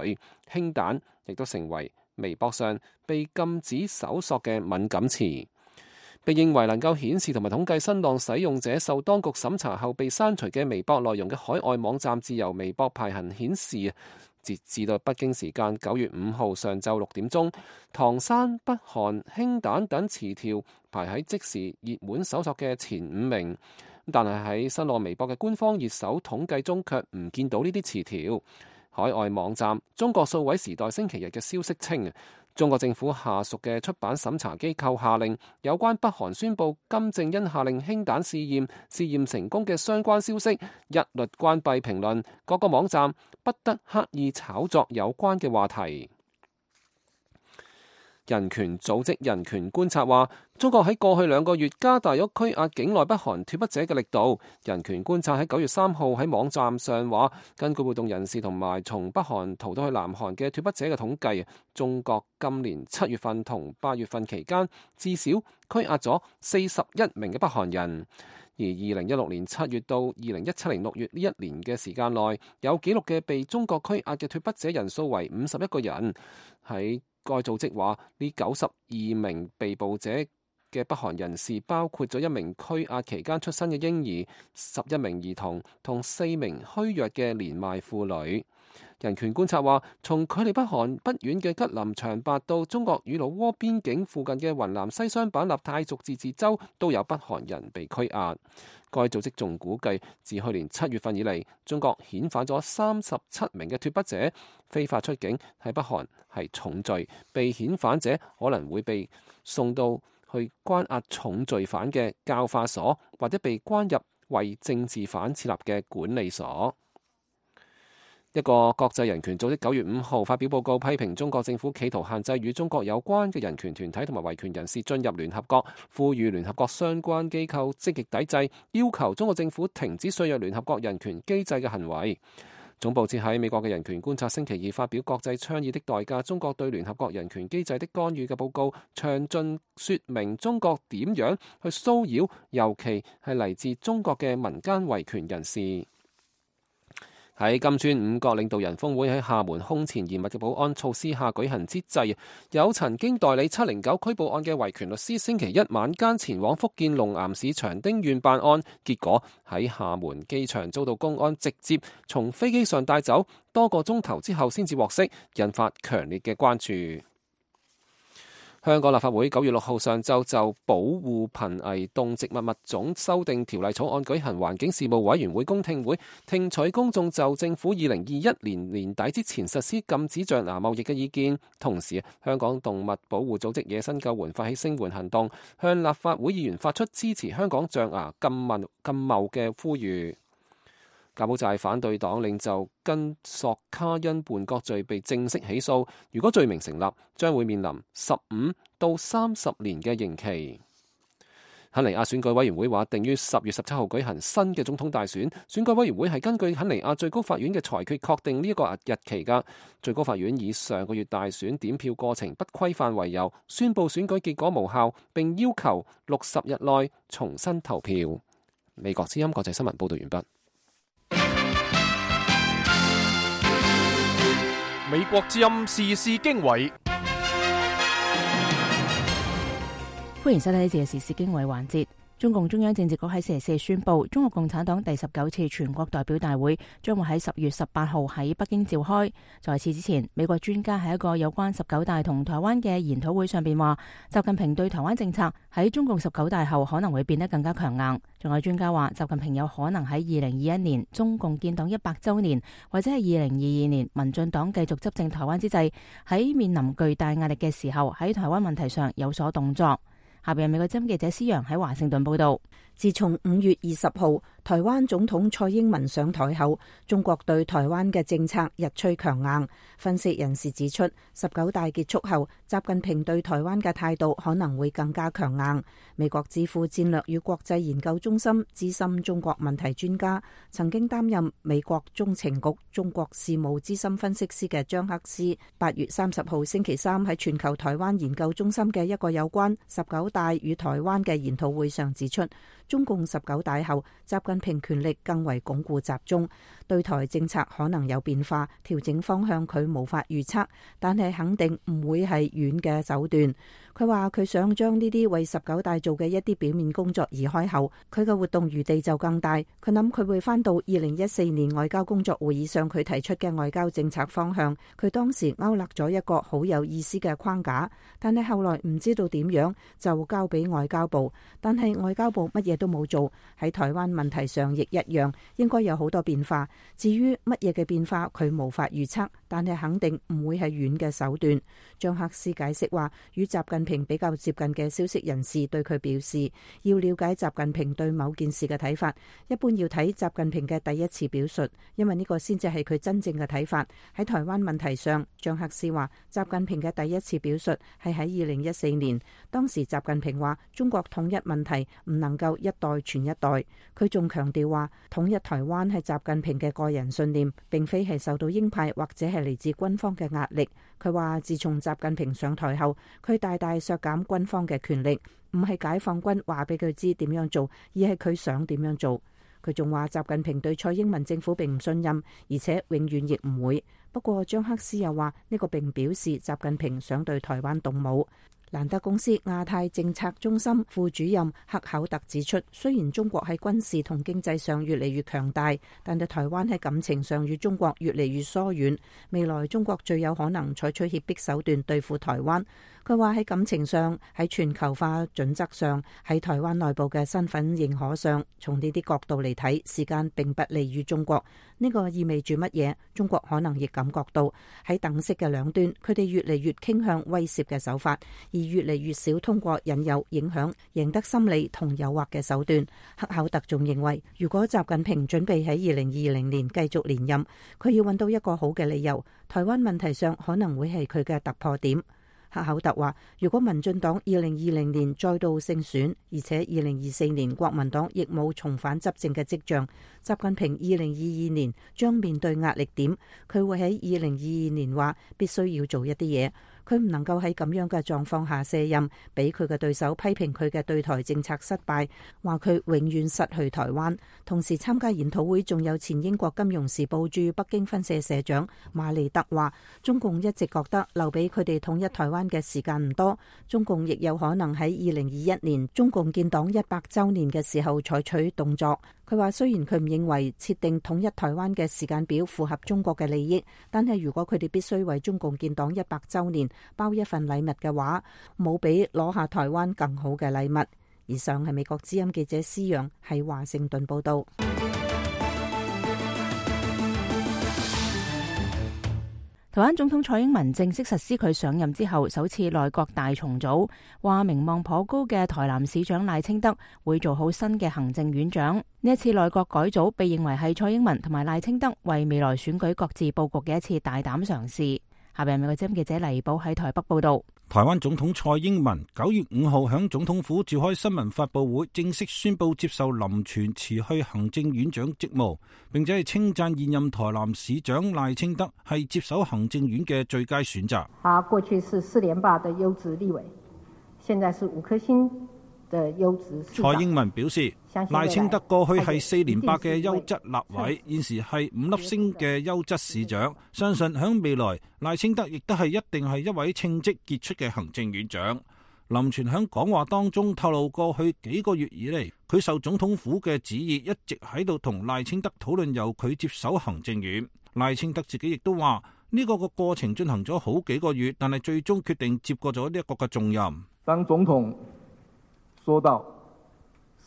Speaker 4: 氫彈亦都成為微博上被禁止搜索嘅敏感詞。被認為能夠顯示同埋統計新浪使用者受當局審查後被刪除嘅微博內容嘅海外網站自由微博排行顯示，截至到北京時間九月五號上晝六點鐘，唐山、北韓、氫彈等詞條排喺即時熱門搜索嘅前五名，但係喺新浪微博嘅官方熱搜統計中卻唔見到呢啲詞條。海外網站中國數位時代星期日嘅消息稱，中國政府下屬嘅出版審查機構下令有關北韓宣布金正恩下令氫彈試驗試驗成功嘅相關消息一律關閉評論，各個網站不得刻意炒作有關嘅話題。人權組織人權觀察話，中國喺過去兩個月加大咗拘押境內北韓脫北者嘅力度。人權觀察喺九月三號喺網站上話，根據活動人士同埋從北韓逃到去南韓嘅脫北者嘅統計，中國今年七月份同八月份期間至少拘押咗四十一名嘅北韓人。而二零一六年七月到二零一七年六月呢一年嘅時間內，有記錄嘅被中國拘押嘅脫北者人數為五十一個人。喺該組織話，呢九十二名被捕者嘅北韓人士包括咗一名拘押期間出生嘅嬰兒、十一名兒童同四名虛弱嘅年邁婦女。人權觀察話，從距離北韓不遠嘅吉林長白到中國與老撾邊境附近嘅雲南西雙版納泰族自治州都有北韓人被拘押。該組織仲估計，自去年七月份以嚟，中國遣返咗三十七名嘅脫北者，非法出境喺北韓係重罪，被遣返者可能會被送到去關押重罪犯嘅教化所，或者被關入為政治犯設立嘅管理所。一個國際人權組織九月五號發表報告，批評中國政府企圖限制與中國有關嘅人權團體同埋維權人士進入聯合國，呼籲聯合國相關機構積極抵制，要求中國政府停止削弱聯合國人權機制嘅行為。總部設喺美國嘅人權觀察星期二發表《國際倡議的代價：中國對聯合國人權機制的干預》嘅報告，詳盡說明中國點樣去騷擾，尤其係嚟自中國嘅民間維權人士。喺金磚五國領導人峰會喺廈門空前嚴密嘅保安措施下舉行之際，有曾經代理七零九拘捕案嘅維權律師星期一晚間前往福建龍岩市長丁縣辦案，結果喺廈門機場遭到公安直接從飛機上帶走，多個鐘頭之後先至獲釋，引發強烈嘅關注。香港立法會九月六號上晝就保護瀕危動植物物種修訂條例草案舉行環境事務委員會公聽會，聽取公眾就政府二零二一年年底之前實施禁止象牙貿易嘅意見。同時，香港動物保護組織野生救援發起聲援行動，向立法會議員發出支持香港象牙禁貿禁貿嘅呼籲。柬埔寨反對黨領袖根索卡因叛國罪被正式起訴，如果罪名成立，將會面臨十五到三十年嘅刑期。肯尼亞選舉委員會話定於十月十七號舉行新嘅總統大選，選舉委員會係根據肯尼亞最高法院嘅裁決確定呢一個日期㗎。最高法院以上個月大選點票過程不規範為由，宣布選舉結果無效，並要求六十日內重新投票。美國之音國際新聞報道完畢。
Speaker 1: 美國之音時事經緯，
Speaker 2: 歡迎收睇呢次嘅時事經緯環節。中共中央政治局喺星期四宣布，中國共產黨第十九次全國代表大會將會喺十月十八號喺北京召開。在此之前，美國專家喺一個有關十九大同台灣嘅研討會上邊話，習近平對台灣政策喺中共十九大後可能會變得更加強硬。仲有專家話，習近平有可能喺二零二一年中共建黨一百週年，或者係二零二二年民進黨繼續執政台灣之際，喺面臨巨大壓力嘅時候，喺台灣問題上有所動作。下邊係美國之音記者施洋喺華盛頓報道。自從五月二十號台灣總統蔡英文上台後，中國對台灣嘅政策日趨強硬。分析人士指出，十九大結束後，習近平對台灣嘅態度可能會更加強硬。美國智庫戰略與國際研究中心資深中國問題專家，曾經擔任美國中情局中國事務資深分析師嘅張克斯，八月三十號星期三喺全球台灣研究中心嘅一個有關十九大與台灣嘅研討會上指出，中共十九大後，習近平權力更為鞏固集中，對台政策可能有變化，調整方向佢無法預測，但係肯定唔會係軟嘅手段。佢話佢想將呢啲為十九大做嘅一啲表面工作移開後，佢嘅活動餘地就更大。佢諗佢會翻到二零一四年外交工作會議上佢提出嘅外交政策方向。佢當時勾勒咗一個好有意思嘅框架，但係後來唔知道點樣就交俾外交部，但係外交部乜嘢都冇做。喺台灣問題上亦一樣，應該有好多變化。至於乜嘢嘅變化，佢無法預測，但係肯定唔會係軟嘅手段。張克斯解釋話，與習近平比較接近嘅消息人士對佢表示，要了解習近平對某件事嘅睇法，一般要睇習近平嘅第一次表述，因為呢個先至係佢真正嘅睇法。喺台灣問題上，張克斯話，習近平嘅第一次表述係喺二零一四年，當時習近平話中國統一問題唔能夠一代傳一代。佢仲強調話，統一台灣係習近平嘅個人信念，並非係受到鷹派或者係嚟自軍方嘅壓力。佢話自從習近平上台後，佢大大削減軍方嘅權力，唔係解放軍話俾佢知點樣做，而係佢想點樣做。佢仲話習近平對蔡英文政府並唔信任，而且永遠亦唔會。不過張克斯又話呢個並表示習近平想對台灣動武。蘭德公司亞太政策中心副主任克考特指出，雖然中國喺軍事同經濟上越嚟越強大，但係台灣喺感情上與中國越嚟越疏遠。未來中國最有可能採取脅迫手段對付台灣。佢話喺感情上、喺全球化準則上、喺台灣內部嘅身份認可上，從呢啲角度嚟睇，時間並不利於中國。呢個意味住乜嘢？中國可能亦感覺到喺等式嘅兩端，佢哋越嚟越傾向威懾嘅手法，而越嚟越少通過引誘、影響、贏得心理同誘惑嘅手段。克考特仲認為，如果習近平準備喺二零二零年繼續連任，佢要揾到一個好嘅理由，台灣問題上可能會係佢嘅突破點。克考特話，如果民進黨二零二零年再度勝選，而且二零二四年國民黨亦冇重返執政嘅跡象，習近平二零二二年將面對壓力點。佢會喺二零二二年話必須要做一啲嘢。佢唔能夠喺咁樣嘅狀況下卸任，俾佢嘅對手批評佢嘅對台政策失敗，話佢永遠失去台灣。同時參加研討會仲有前英國金融時報駐北京分社社長馬利德話，中共一直覺得留俾佢哋統一台灣嘅時間唔多，中共亦有可能喺二零二一年中共建黨一百週年嘅時候採取動作。
Speaker 7: 佢話雖然佢唔認為設定統一台灣嘅時間表符合中國嘅利益，但係如果佢哋必須為中共建黨一百週年包一份禮物嘅話，冇比攞下台灣更好嘅禮物。以上係美國之音記者施陽喺華盛頓報道。
Speaker 2: 台灣總統蔡英文正式實施佢上任之後首次內閣大重組，話名望頗高嘅台南市長賴清德會做好新嘅行政院長。呢一次內閣改組被認為係蔡英文同埋賴清德為未來選舉各自佈局嘅一次大膽嘗試。下邊美國之音記者黎寶喺台北報道。
Speaker 6: 台灣總統蔡英文九月五號響總統府召開新聞發佈會，正式宣布接受林全辭去行政院長職務，並且係稱讚現任台南市長賴清德係接手行政院嘅最佳選擇。
Speaker 10: 他過去是四連霸的優質立委，現在是五顆星的優質市長。
Speaker 6: 蔡英文表示，賴清德過去係四連霸嘅優質立委，現時係五粒星嘅優質市長。相信響未來，賴清德亦都係一定係一位稱職傑出嘅行政院長。林全響講話當中透露，過去幾個月以嚟，佢受總統府嘅旨意，一直喺度同賴清德討論由佢接手行政院。賴清德自己亦都話，呢個個過程進行咗好幾個月，但係最終決定接過咗呢一個嘅重任。
Speaker 11: 當總統說到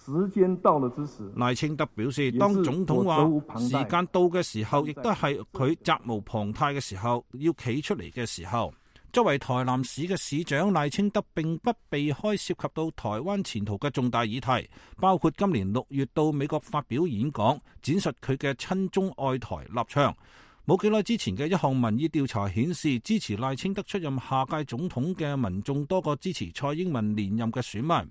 Speaker 11: 時間到了之時，
Speaker 6: 賴清德表示，當總統話時間到嘅時候，亦都係佢責無旁貸嘅時候，要企出嚟嘅時候。作為台南市嘅市長，賴清德並不避開涉及到台灣前途嘅重大議題，包括今年六月到美國發表演講，展述佢嘅親中愛台立場。冇幾耐之前嘅一項民意調查顯示，支持賴清德出任下屆總統嘅民眾多過支持蔡英文連任嘅選民。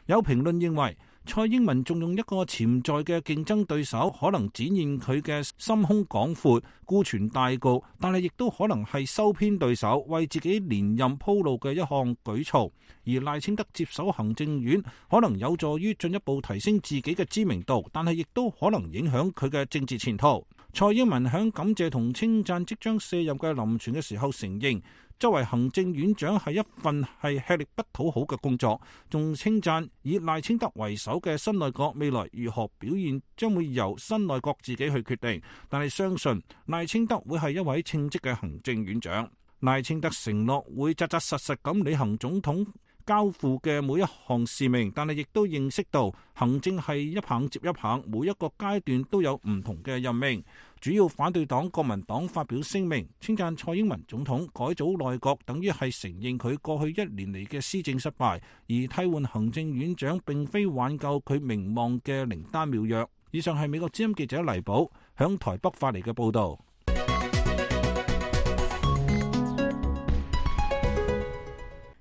Speaker 6: 有評論認為，蔡英文仲用一個潛在嘅競爭對手，可能展現佢嘅心胸廣闊、顧全大局，但係亦都可能係收編對手，為自己連任鋪路嘅一項舉措。而賴清德接手行政院，可能有助於進一步提升自己嘅知名度，但係亦都可能影響佢嘅政治前途。蔡英文響感謝同稱讚即將卸任嘅林全嘅時候承認，作為行政院長係一份係吃力不討好嘅工作，仲稱讚以賴清德為首嘅新內閣未來如何表現將會由新內閣自己去決定，但係相信賴清德會係一位稱職嘅行政院長。賴清德承諾會扎扎實實咁履行總統交付嘅每一項使命，但係亦都認識到行政係一棒接一棒，每一個階段都有唔同嘅任命。主要反對黨國民黨發表聲明，稱讚蔡英文總統改組內閣，等於係承認佢過去一年嚟嘅施政失敗，而替換行政院長並非挽救佢名望嘅靈丹妙藥。以上係美國之音記者黎寶響台北發嚟嘅報道。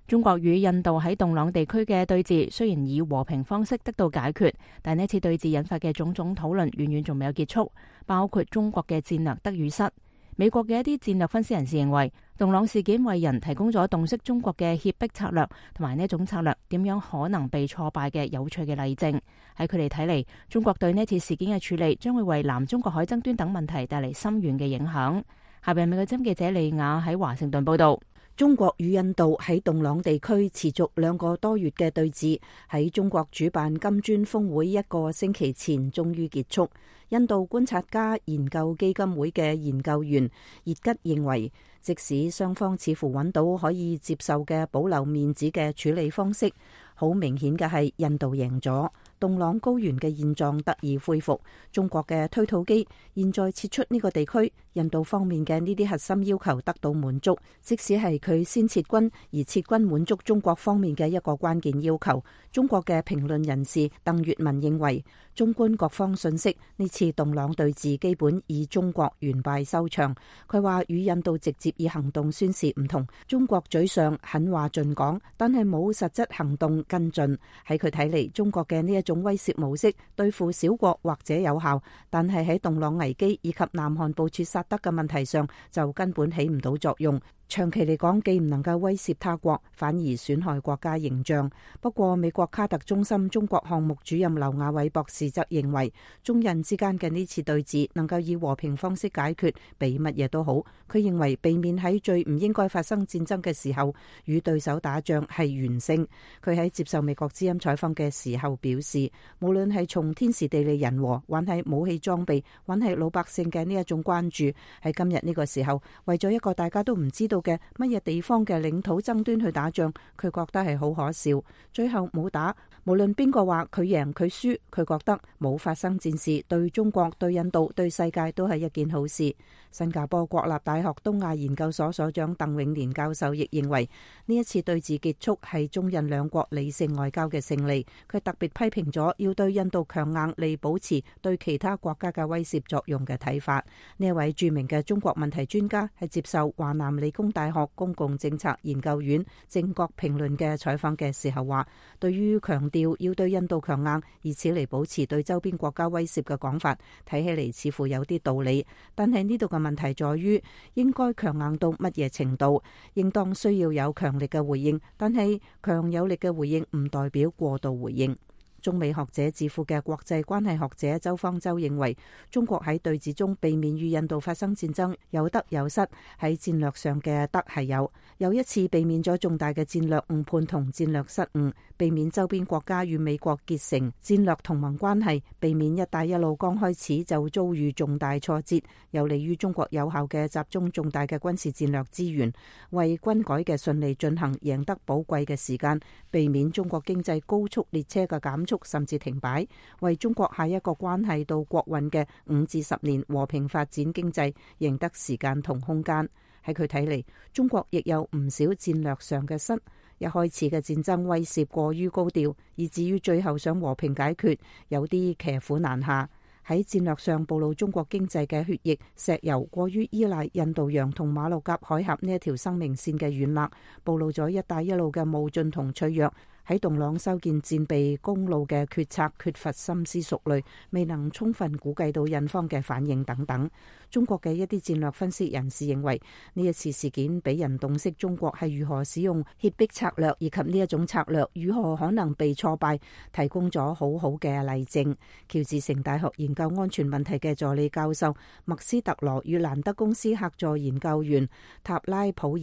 Speaker 2: 中國與印度喺洞朗地區嘅對峙雖然以和平方式得到解決，但呢次對峙引發嘅種種討論遠遠仲未有結束，包括中國嘅戰略得與失。美國嘅一啲戰略分析人士認為，洞朗事件為人提供咗洞悉中國嘅脅迫策略同埋呢種策略點樣可能被挫敗嘅有趣嘅例證。喺佢哋睇嚟，中國對呢次事件嘅處理將會為南中國海爭端等問題帶嚟深遠嘅影響。下邊美國針記者李雅喺華盛頓報道。
Speaker 7: 中國與印度喺洞朗地區持續兩個多月嘅對峙，喺中國主辦金磚峰會一個星期前終於結束。印度觀察家研究基金會嘅研究員葉吉認為，即使雙方似乎揾到可以接受嘅保留面子嘅處理方式，好明顯嘅係印度贏咗。洞朗高原嘅現狀得以恢復，中國嘅推土機現在撤出呢個地區，印度方面嘅呢啲核心要求得到滿足，即使係佢先撤軍，而撤軍滿足中國方面嘅一個關鍵要求。中國嘅評論人士鄧月文認為，綜觀各方信息，呢次洞朗對峙基本以中國完敗收場。佢話與印度直接以行動宣示唔同，中國嘴上狠話盡講，但係冇實質行動跟進。喺佢睇嚟，中國嘅呢一種威懾模式對付小國或者有效，但係喺洞朗危機以及南韓部署薩德嘅問題上就根本起唔到作用。長期嚟講既唔能夠威懾他國，反而損害國家形象。不過美國卡特中心中國項目主任劉亞偉博士則認為，中印之間嘅呢次對峙能夠以和平方式解決，比乜嘢都好。佢認為避免喺最唔應該發生戰爭嘅時候與對手打仗係完勝。佢喺接受美國之音採訪嘅時候表示，無論係從天時地利人和，還係武器裝備，還係老百姓嘅呢一種關注，喺今日呢個時候，為咗一個大家都唔知道嘅乜嘢地方嘅領土爭端去打仗，佢覺得係好可笑。最後冇打，無論邊個話佢贏佢輸，佢覺得冇發生戰事，對中國、對印度、對世界都係一件好事。新加坡國立大學東亞研究所所長鄧永年教授亦認為，呢一次對峙結束係中印兩國理性外交嘅勝利。佢特別批評咗要對印度強硬嚟保持對其他國家嘅威懾作用嘅睇法。呢一位著名嘅中國問題專家係接受華南理工大學公共政策研究院政國評論嘅採訪嘅時候話，對於強調要對印度強硬，以此嚟保持對周邊國家威懾嘅講法，睇起嚟似乎有啲道理。但係呢度嘅問題在於，應該強硬到乜嘢程度？應當需要有強力嘅回應，但係強有力嘅回應唔代表過度回應。中美學者智庫嘅國際關係學者周方舟認為，中國喺對峙中避免與印度發生戰爭，有得有失。喺戰略上嘅得係有，有一次避免咗重大嘅戰略誤判同戰略失誤，避免周邊國家與美國結成戰略同盟關係，避免一帶一路剛開始就遭遇重大挫折，有利於中國有效嘅集中重大嘅軍事戰略資源，為軍改嘅順利進行贏得寶貴嘅時間，避免中國經濟高速列車嘅減速甚至停擺，為中國下一個關係到國運嘅五至十年和平發展經濟贏得時間同空間。喺佢睇嚟，中國亦有唔少戰略上嘅失。一開始嘅戰爭威懾過於高調，以至於最後想和平解決，有啲騎虎難下。喺戰略上暴露中國經濟嘅血液、石油過於依賴印度洋同馬六甲海峽呢一條生命線嘅軟肋，暴露咗一帶一路嘅冒進同脆弱。喺洞朗修建戰備公路嘅決策缺乏深思熟慮，未能充分估計到印方嘅反應等等。中國嘅一啲戰略分析人士認為，呢一次事件俾人洞悉中國係如何使用脅迫策略，以及呢一種策略如何可能被挫敗，提供咗好好嘅例證。喬治城大學研究安全問題嘅助理教授麥斯特羅與蘭德公司客座研究員塔拉普爾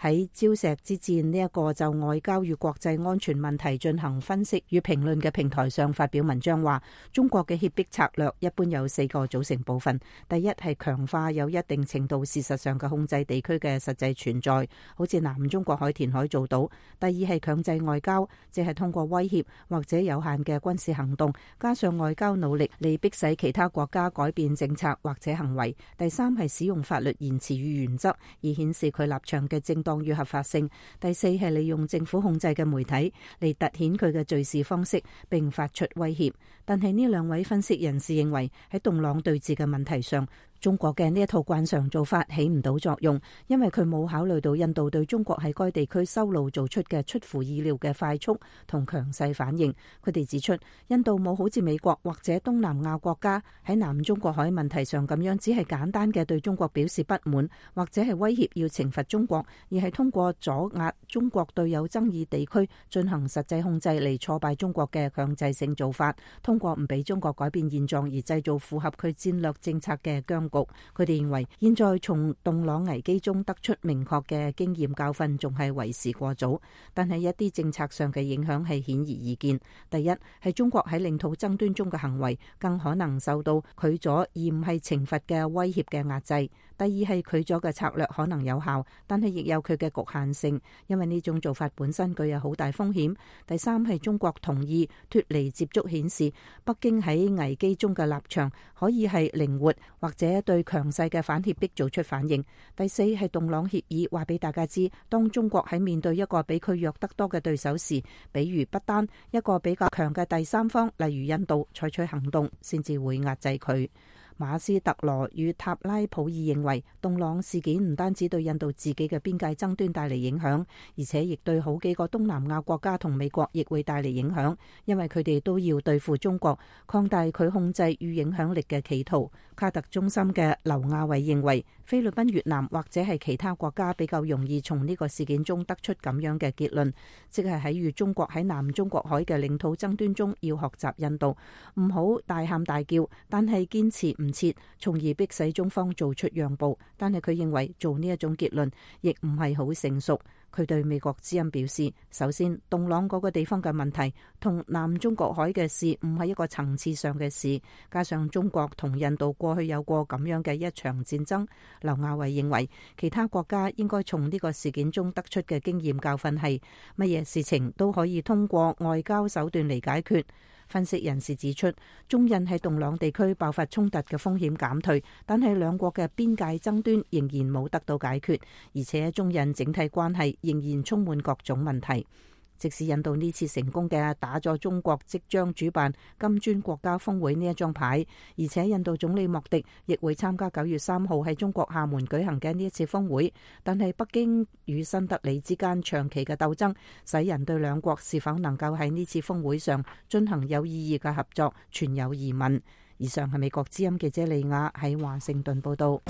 Speaker 7: 喺礁石之戰呢一個就外交與國際安全問題進行分析與評論嘅平台上發表文章話，中國嘅脅迫策略一般有四個組成部分。第一係強化有一定程度事實上嘅控制地區嘅實際存在，好似南中國海填海做到。第二係強制外交，即係通過威脅或者有限嘅軍事行動，加上外交努力嚟迫使其他國家改變政策或者行為。第三係使用法律言辭與原則，以顯示佢立場嘅正當與合法性。第四係利用政府控制嘅媒體嚟凸顯佢嘅敘事方式，並發出威脅。但係呢兩位分析人士認為，喺洞朗對峙嘅問題上，中國嘅呢一套慣常做法起唔到作用，因為佢冇考慮到印度對中國喺該地區修路做出嘅出乎意料嘅快速同強勢反應。佢哋指出，印度冇好似美國或者東南亞國家喺南中國海問題上咁樣，只係簡單嘅對中國表示不滿，或者係威脅要懲罰中國，而係通過阻壓中國對有爭議地區進行實際控制嚟挫敗中國嘅強制性做法，通過唔俾中國改變現狀而製造符合佢戰略政策嘅僵局。佢哋認為，現在從洞朗危機中得出明確嘅經驗教訓仲係為時過早，但係一啲政策上嘅影響係顯而易見。第一係中國喺領土爭端中嘅行為更可能受到拒阻而唔係懲罰嘅威脅嘅壓制。第二係拒阻嘅策略可能有效，但係亦有佢嘅局限性，因為呢種做法本身具有好大風險。第三係中國同意脫離接觸，顯示北京喺危機中嘅立場可以係靈活或者對強勢嘅反脅迫做出反應。第四係洞朗協議話俾大家知，當中國喺面對一個比佢弱得多嘅對手時，比如不單一個比較強嘅第三方，例如印度採取行動，先至會壓制佢。馬斯特羅與塔拉普爾認為，洞朗事件唔單止對印度自己嘅邊界爭端帶嚟影響，而且亦對好幾個東南亞國家同美國亦會帶嚟影響，因為佢哋都要對付中國，擴大佢控制與影響力嘅企圖。卡特中心嘅劉亞偉認為，菲律賓、越南或者係其他國家比較容易從呢個事件中得出咁樣嘅結論，即係喺與中國喺南中國海嘅領土爭端中要學習印度，唔好大喊大叫，但係堅持唔撤，從而迫使中方做出讓步。但係佢認為做呢一種結論亦唔係好成熟。佢對美國之音表示，首先，洞朗嗰個地方嘅問題同南中國海嘅事唔係一個層次上嘅事，加上中國同印度過去有過咁樣嘅一場戰爭。劉亞偉認為，其他國家應該從呢個事件中得出嘅經驗教訓係，乜嘢事情都可以通過外交手段嚟解決。分析人士指出，中印喺洞朗地區爆發衝突嘅風險減退，但係兩國嘅邊界爭端仍然冇得到解決，而且中印整體關係仍然充滿各種問題。即使印度呢次成功嘅打咗中國即將主辦金磚國家峰會呢一張牌，而且印度總理莫迪亦會參加九月三號喺中國廈門舉行嘅呢一次峰會，但係北京與新德里之間長期嘅鬥爭，使人對兩國是否能夠喺呢次峰會上進行有意義嘅合作存有疑問。以上係美國之音記者利亞喺華盛頓報道。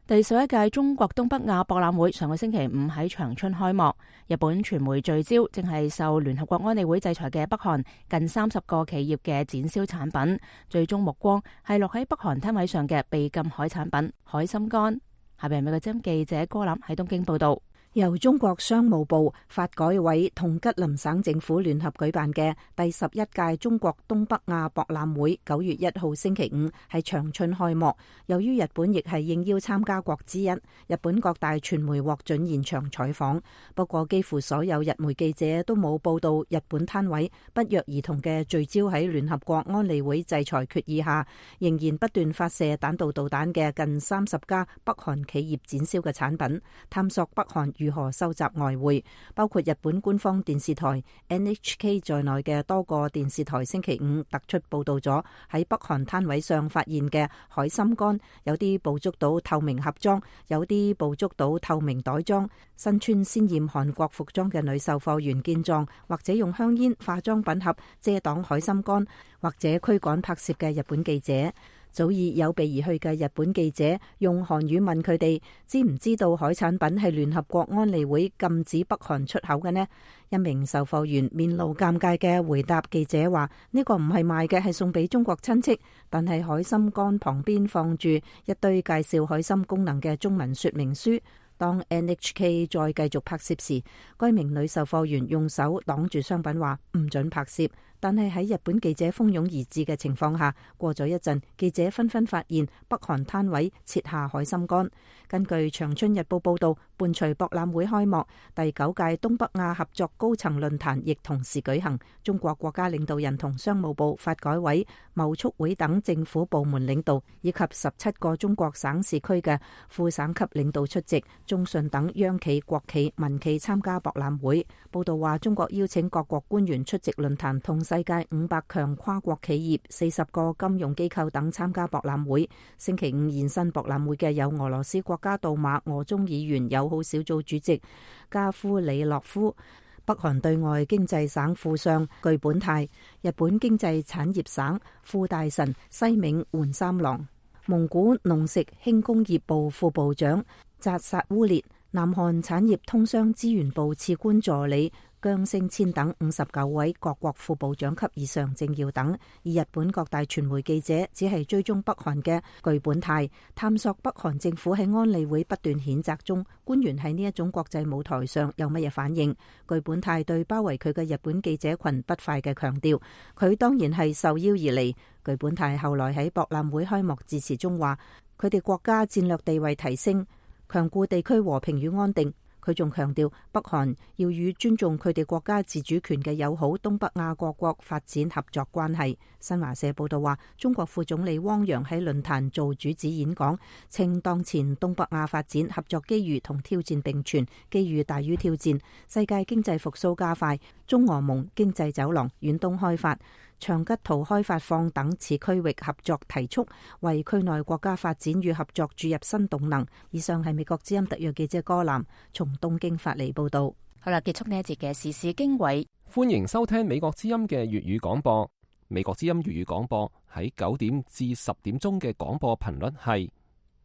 Speaker 2: 第十一屆中國東北亞博覽會上個星期五喺長春開幕。日本傳媒聚焦正係受聯合國安理會制裁嘅北韓近三十個企業嘅展銷產品，最終目光係落喺北韓攤位上嘅被禁海產品海參乾。下邊美國之音記者柯林喺東京報道。由中國商務部、發改委同吉林省政府聯合舉辦嘅第十一屆中國東北亞博覽會，九月一號星期五喺長春開幕。由於日本亦係應邀參加國之一，日本各大傳媒獲准現場採訪。不過，幾乎所有日媒記者都冇報道日本攤位不約而同嘅聚焦喺聯合國安理會制裁決議下，仍然不斷發射彈道導彈嘅近三十家北韓企業展銷嘅產品，探索北韓如何收集外匯。包括日本官方電視台 N H K 在內嘅多個電視台星期五突出報道咗喺北韓攤位上發現嘅海參乾，有啲捕捉到透明盒裝，有啲捕捉到透明袋裝。身穿鮮豔韓國服裝嘅女售貨員見狀，或者用香煙、化妝品盒遮擋海參乾，或者驅趕拍攝嘅日本記者。早已有備而去嘅日本記者用韓語問佢哋知唔知道海產品係聯合國安理會禁止北韓出口嘅呢？一名售貨員面露尷尬嘅回答記者話：呢個唔係賣嘅，係送俾中國親戚。但係海參乾旁邊放住一堆介紹海參功能嘅中文說明書。當 N H K 再繼續拍攝時，該名女售貨員用手擋住商品話唔准拍攝。但係喺日本記者蜂擁而至嘅情況下，過咗一陣，記者紛紛發現北韓攤位設下海參乾。根據長春日報報道，伴隨博覽會開幕，第九屆東北亞合作高層論壇亦同時舉行。中國國家領導人同商務部、發改委、貿促會等政府部門領導，以及十七個中國省市區嘅副省級領導出席。中信等央企、國企、民企參加博覽會。報道話，中國邀請各國官員出席論壇，同世界五百強跨國企業、四十個金融機構等參加博覽會。星期五現身博覽會嘅有俄羅斯國家杜馬俄中議員友好小組主席加夫里諾夫、北韓對外經濟省副相具本泰、日本經濟產業省副大臣西銘垣三郎、蒙古農食輕工業部副部長扎薩烏列、南韓產業通商資源部次官助理姜星千等五十九位各國副部長級以上政要等，而日本各大傳媒記者只係追蹤北韓嘅具本泰，探索北韓政府喺安理會不斷譴責中，官員喺呢一種國際舞台上有乜嘢反應。具本泰對包圍佢嘅日本記者群不快嘅強調，佢當然係受邀而嚟。具本泰後來喺博覽會開幕致辭中話，佢哋國家戰略地位提升，強固地區和平與安定。佢仲強調，北韓要與尊重佢哋國家自主權嘅友好東北亞各國發展合作關係。新華社報道話，中國副總理汪洋喺論壇做主旨演講，稱當前東北亞發展合作機遇同挑戰並存，機遇大於挑戰，世界經濟復甦加快，
Speaker 7: 中俄蒙經濟走廊、遠東開發、長吉圖開發放等次區域合作提速，為區內國家發展與合作注入新動能。以上係美國之音特約記者歌南從東京發嚟報道。
Speaker 2: 好啦，結束呢一節嘅時事經緯，
Speaker 4: 歡迎收聽美國之音嘅粵語廣播。美國之音粵語廣播喺九點至十點鐘嘅廣播頻率係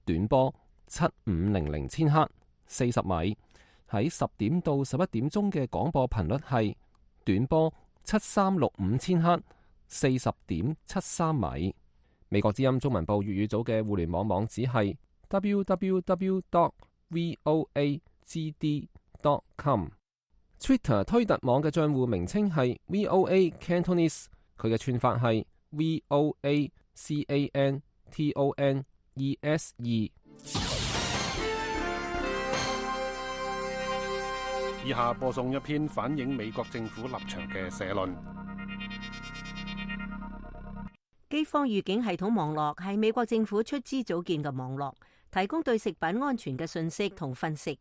Speaker 4: 短波七五零零千赫四十米，喺十點到十一點鐘嘅廣播頻率係短波七三六五千赫四十點七三米。美國之音中文部粵語組嘅互聯網網址係 double-u double-u double-u dot voa g d dot com。Twitter 推特網嘅賬戶名稱係 V O A Cantonese， 佢嘅串法係 V O A C A N T O N E S E。
Speaker 1: 以下播送一篇反映美國政府立場嘅社論。
Speaker 8: 饑荒預警系統網絡係美國政府出資組建嘅網絡，提供對食品安全嘅信息同分析。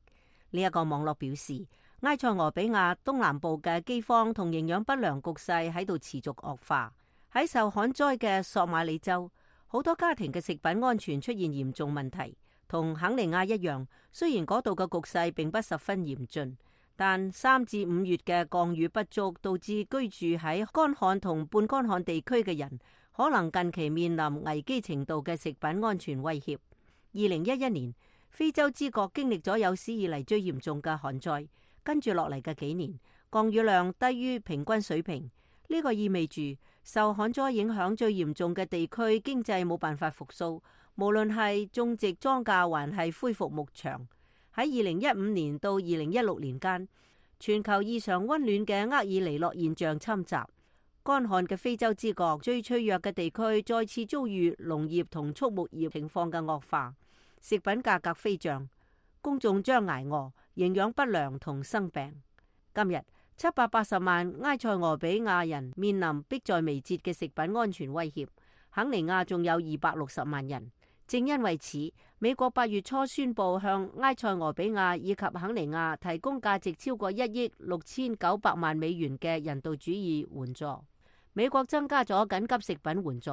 Speaker 8: 呢、這、一個網絡表示，埃塞俄比亞東南部嘅饑荒同營養不良局勢喺度持續惡化。喺受旱災嘅索馬里州，好多家庭嘅食品安全出現嚴重問題。同肯尼亞一樣，雖然嗰度嘅局勢並不十分嚴峻，但三至五月嘅降雨不足，導致居住喺乾旱同半乾旱地區嘅人，可能近期面臨危機程度嘅食品安全威脅。二零一一年，非洲之國經歷咗有史以嚟最嚴重嘅旱災。跟住落嚟嘅幾年，降雨量低於平均水平，呢、這個意味住受旱災影響最嚴重嘅地區經濟冇辦法復甦，無論係種植莊稼還係恢復牧場。喺二零一五年到二零一六年間，全球異常溫暖嘅厄爾尼諾現象侵襲，乾旱嘅非洲之國最脆弱嘅地區再次遭遇農業同畜牧業情況嘅惡化，食品價格飛漲，公眾將挨餓、營養不良同生病。今日七百八十萬埃塞俄比亞人面臨迫在眉睫嘅食品安全威脅，肯尼亞仲有二百六十萬人。正因為此，美國八月初宣布向埃塞俄比亞以及肯尼亞提供價值超過一億六千九百萬美元嘅人道主義援助。美國增加咗緊急食品援助，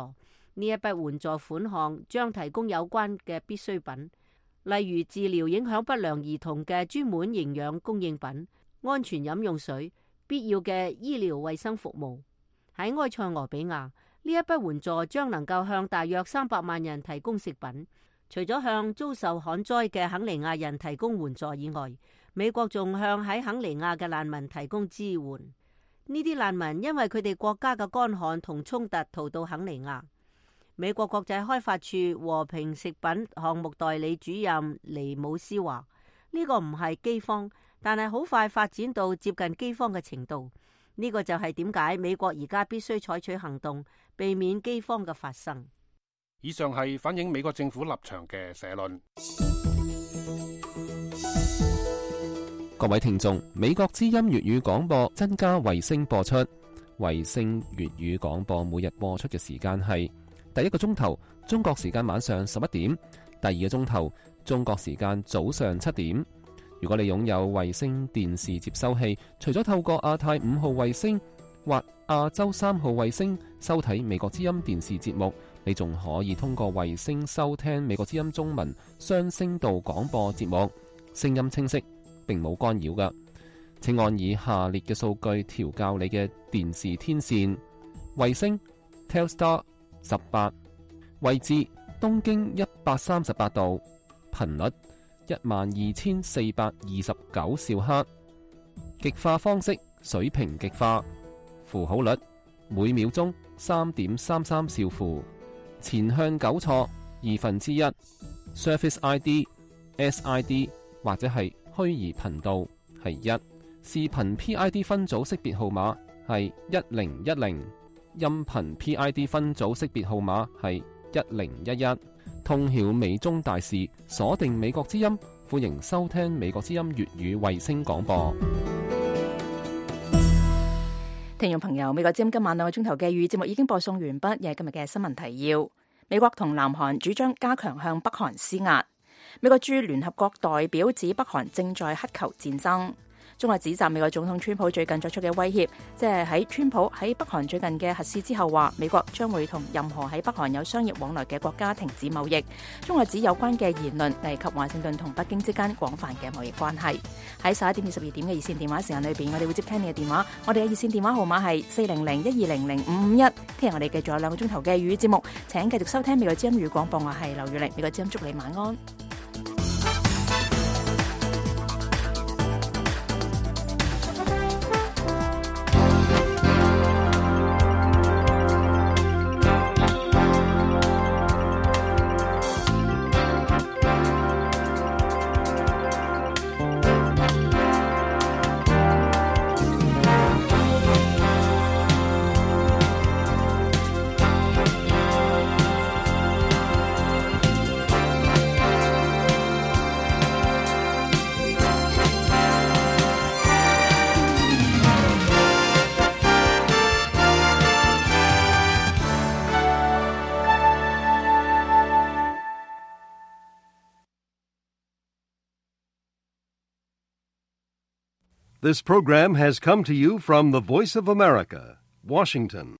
Speaker 8: 呢一筆援助款項將提供有關嘅必需品，例如治療影響不良兒童嘅專門營養供應品、安全飲用水、必要嘅醫療衛生服務。喺埃塞俄比亞，呢一筆援助將能夠向大約三百萬人提供食品。除咗向遭受旱災嘅肯尼亞人提供援助以外，美國仲向喺肯尼亞嘅難民提供支援。呢啲難民因為佢哋國家嘅乾旱同衝突逃到肯尼亞。美國國際開發處和平食品項目代理主任尼姆斯話：呢個唔係饑荒，但係好快發展到接近饑荒嘅程度。呢個就係點解美國而家必須採取行動，避免饑荒嘅發生。
Speaker 1: 以上係反映美國政府立場嘅社論。
Speaker 4: 各位聽眾，美國之音粵語廣播增加衛星播出，衛星粵語廣播每日播出嘅時間係第一個鐘頭中國時間晚上十一點，第二個鐘頭中國時間早上七點。如果你擁有衛星電視接收器，除咗透過亞太五號衛星或亞洲三號衛星收睇美國之音電視節目，你仲可以通過衛星收聽美國之音中文雙聲道廣播節目，聲音清晰，並冇干擾㗎。請按以下列嘅數據調校你嘅電視天線：衛星 Telstar 十八，位置東經一百三十八度，頻率一萬二千四百二十九兆赫，極化方式水平極化，符號率每秒鐘三點三三兆符，前向糾錯二分之一 ，Surface I D、S I D 或者係虛擬頻道係一，視頻 P I D 分組識別號碼係一零一零，音頻 P I D 分組識別號碼係一零一一。通曉美中大事，鎖定美國之音，歡迎收聽美國之音粵語衛星廣播。
Speaker 2: 聽眾朋友，美國之音今晚兩個鐘頭嘅粵語節目已經播送完畢，又係今日嘅新聞提要。美國同南韓主張加強向北韓施壓。美國駐聯合國代表指北韓正在乞求戰爭。中國指責美國總統川普最近作出嘅威脅，即係喺川普喺北韓最近嘅核試之後話，美國將會同任何喺北韓有商業往來嘅國家停止貿易。中國指有關嘅言論危及華盛頓同北京之間廣泛嘅貿易關係。喺十一點至十二點嘅熱線電話時間裏邊，我哋會接聽你嘅電話。我哋嘅熱線電話號碼係四零零一二零零五五一。聽日我哋繼續有兩個鐘頭嘅粵語節目，請繼續收聽美國之音語廣播。我係劉月玲，美國之音祝你晚安。
Speaker 12: This program has come to you from the Voice of America, Washington.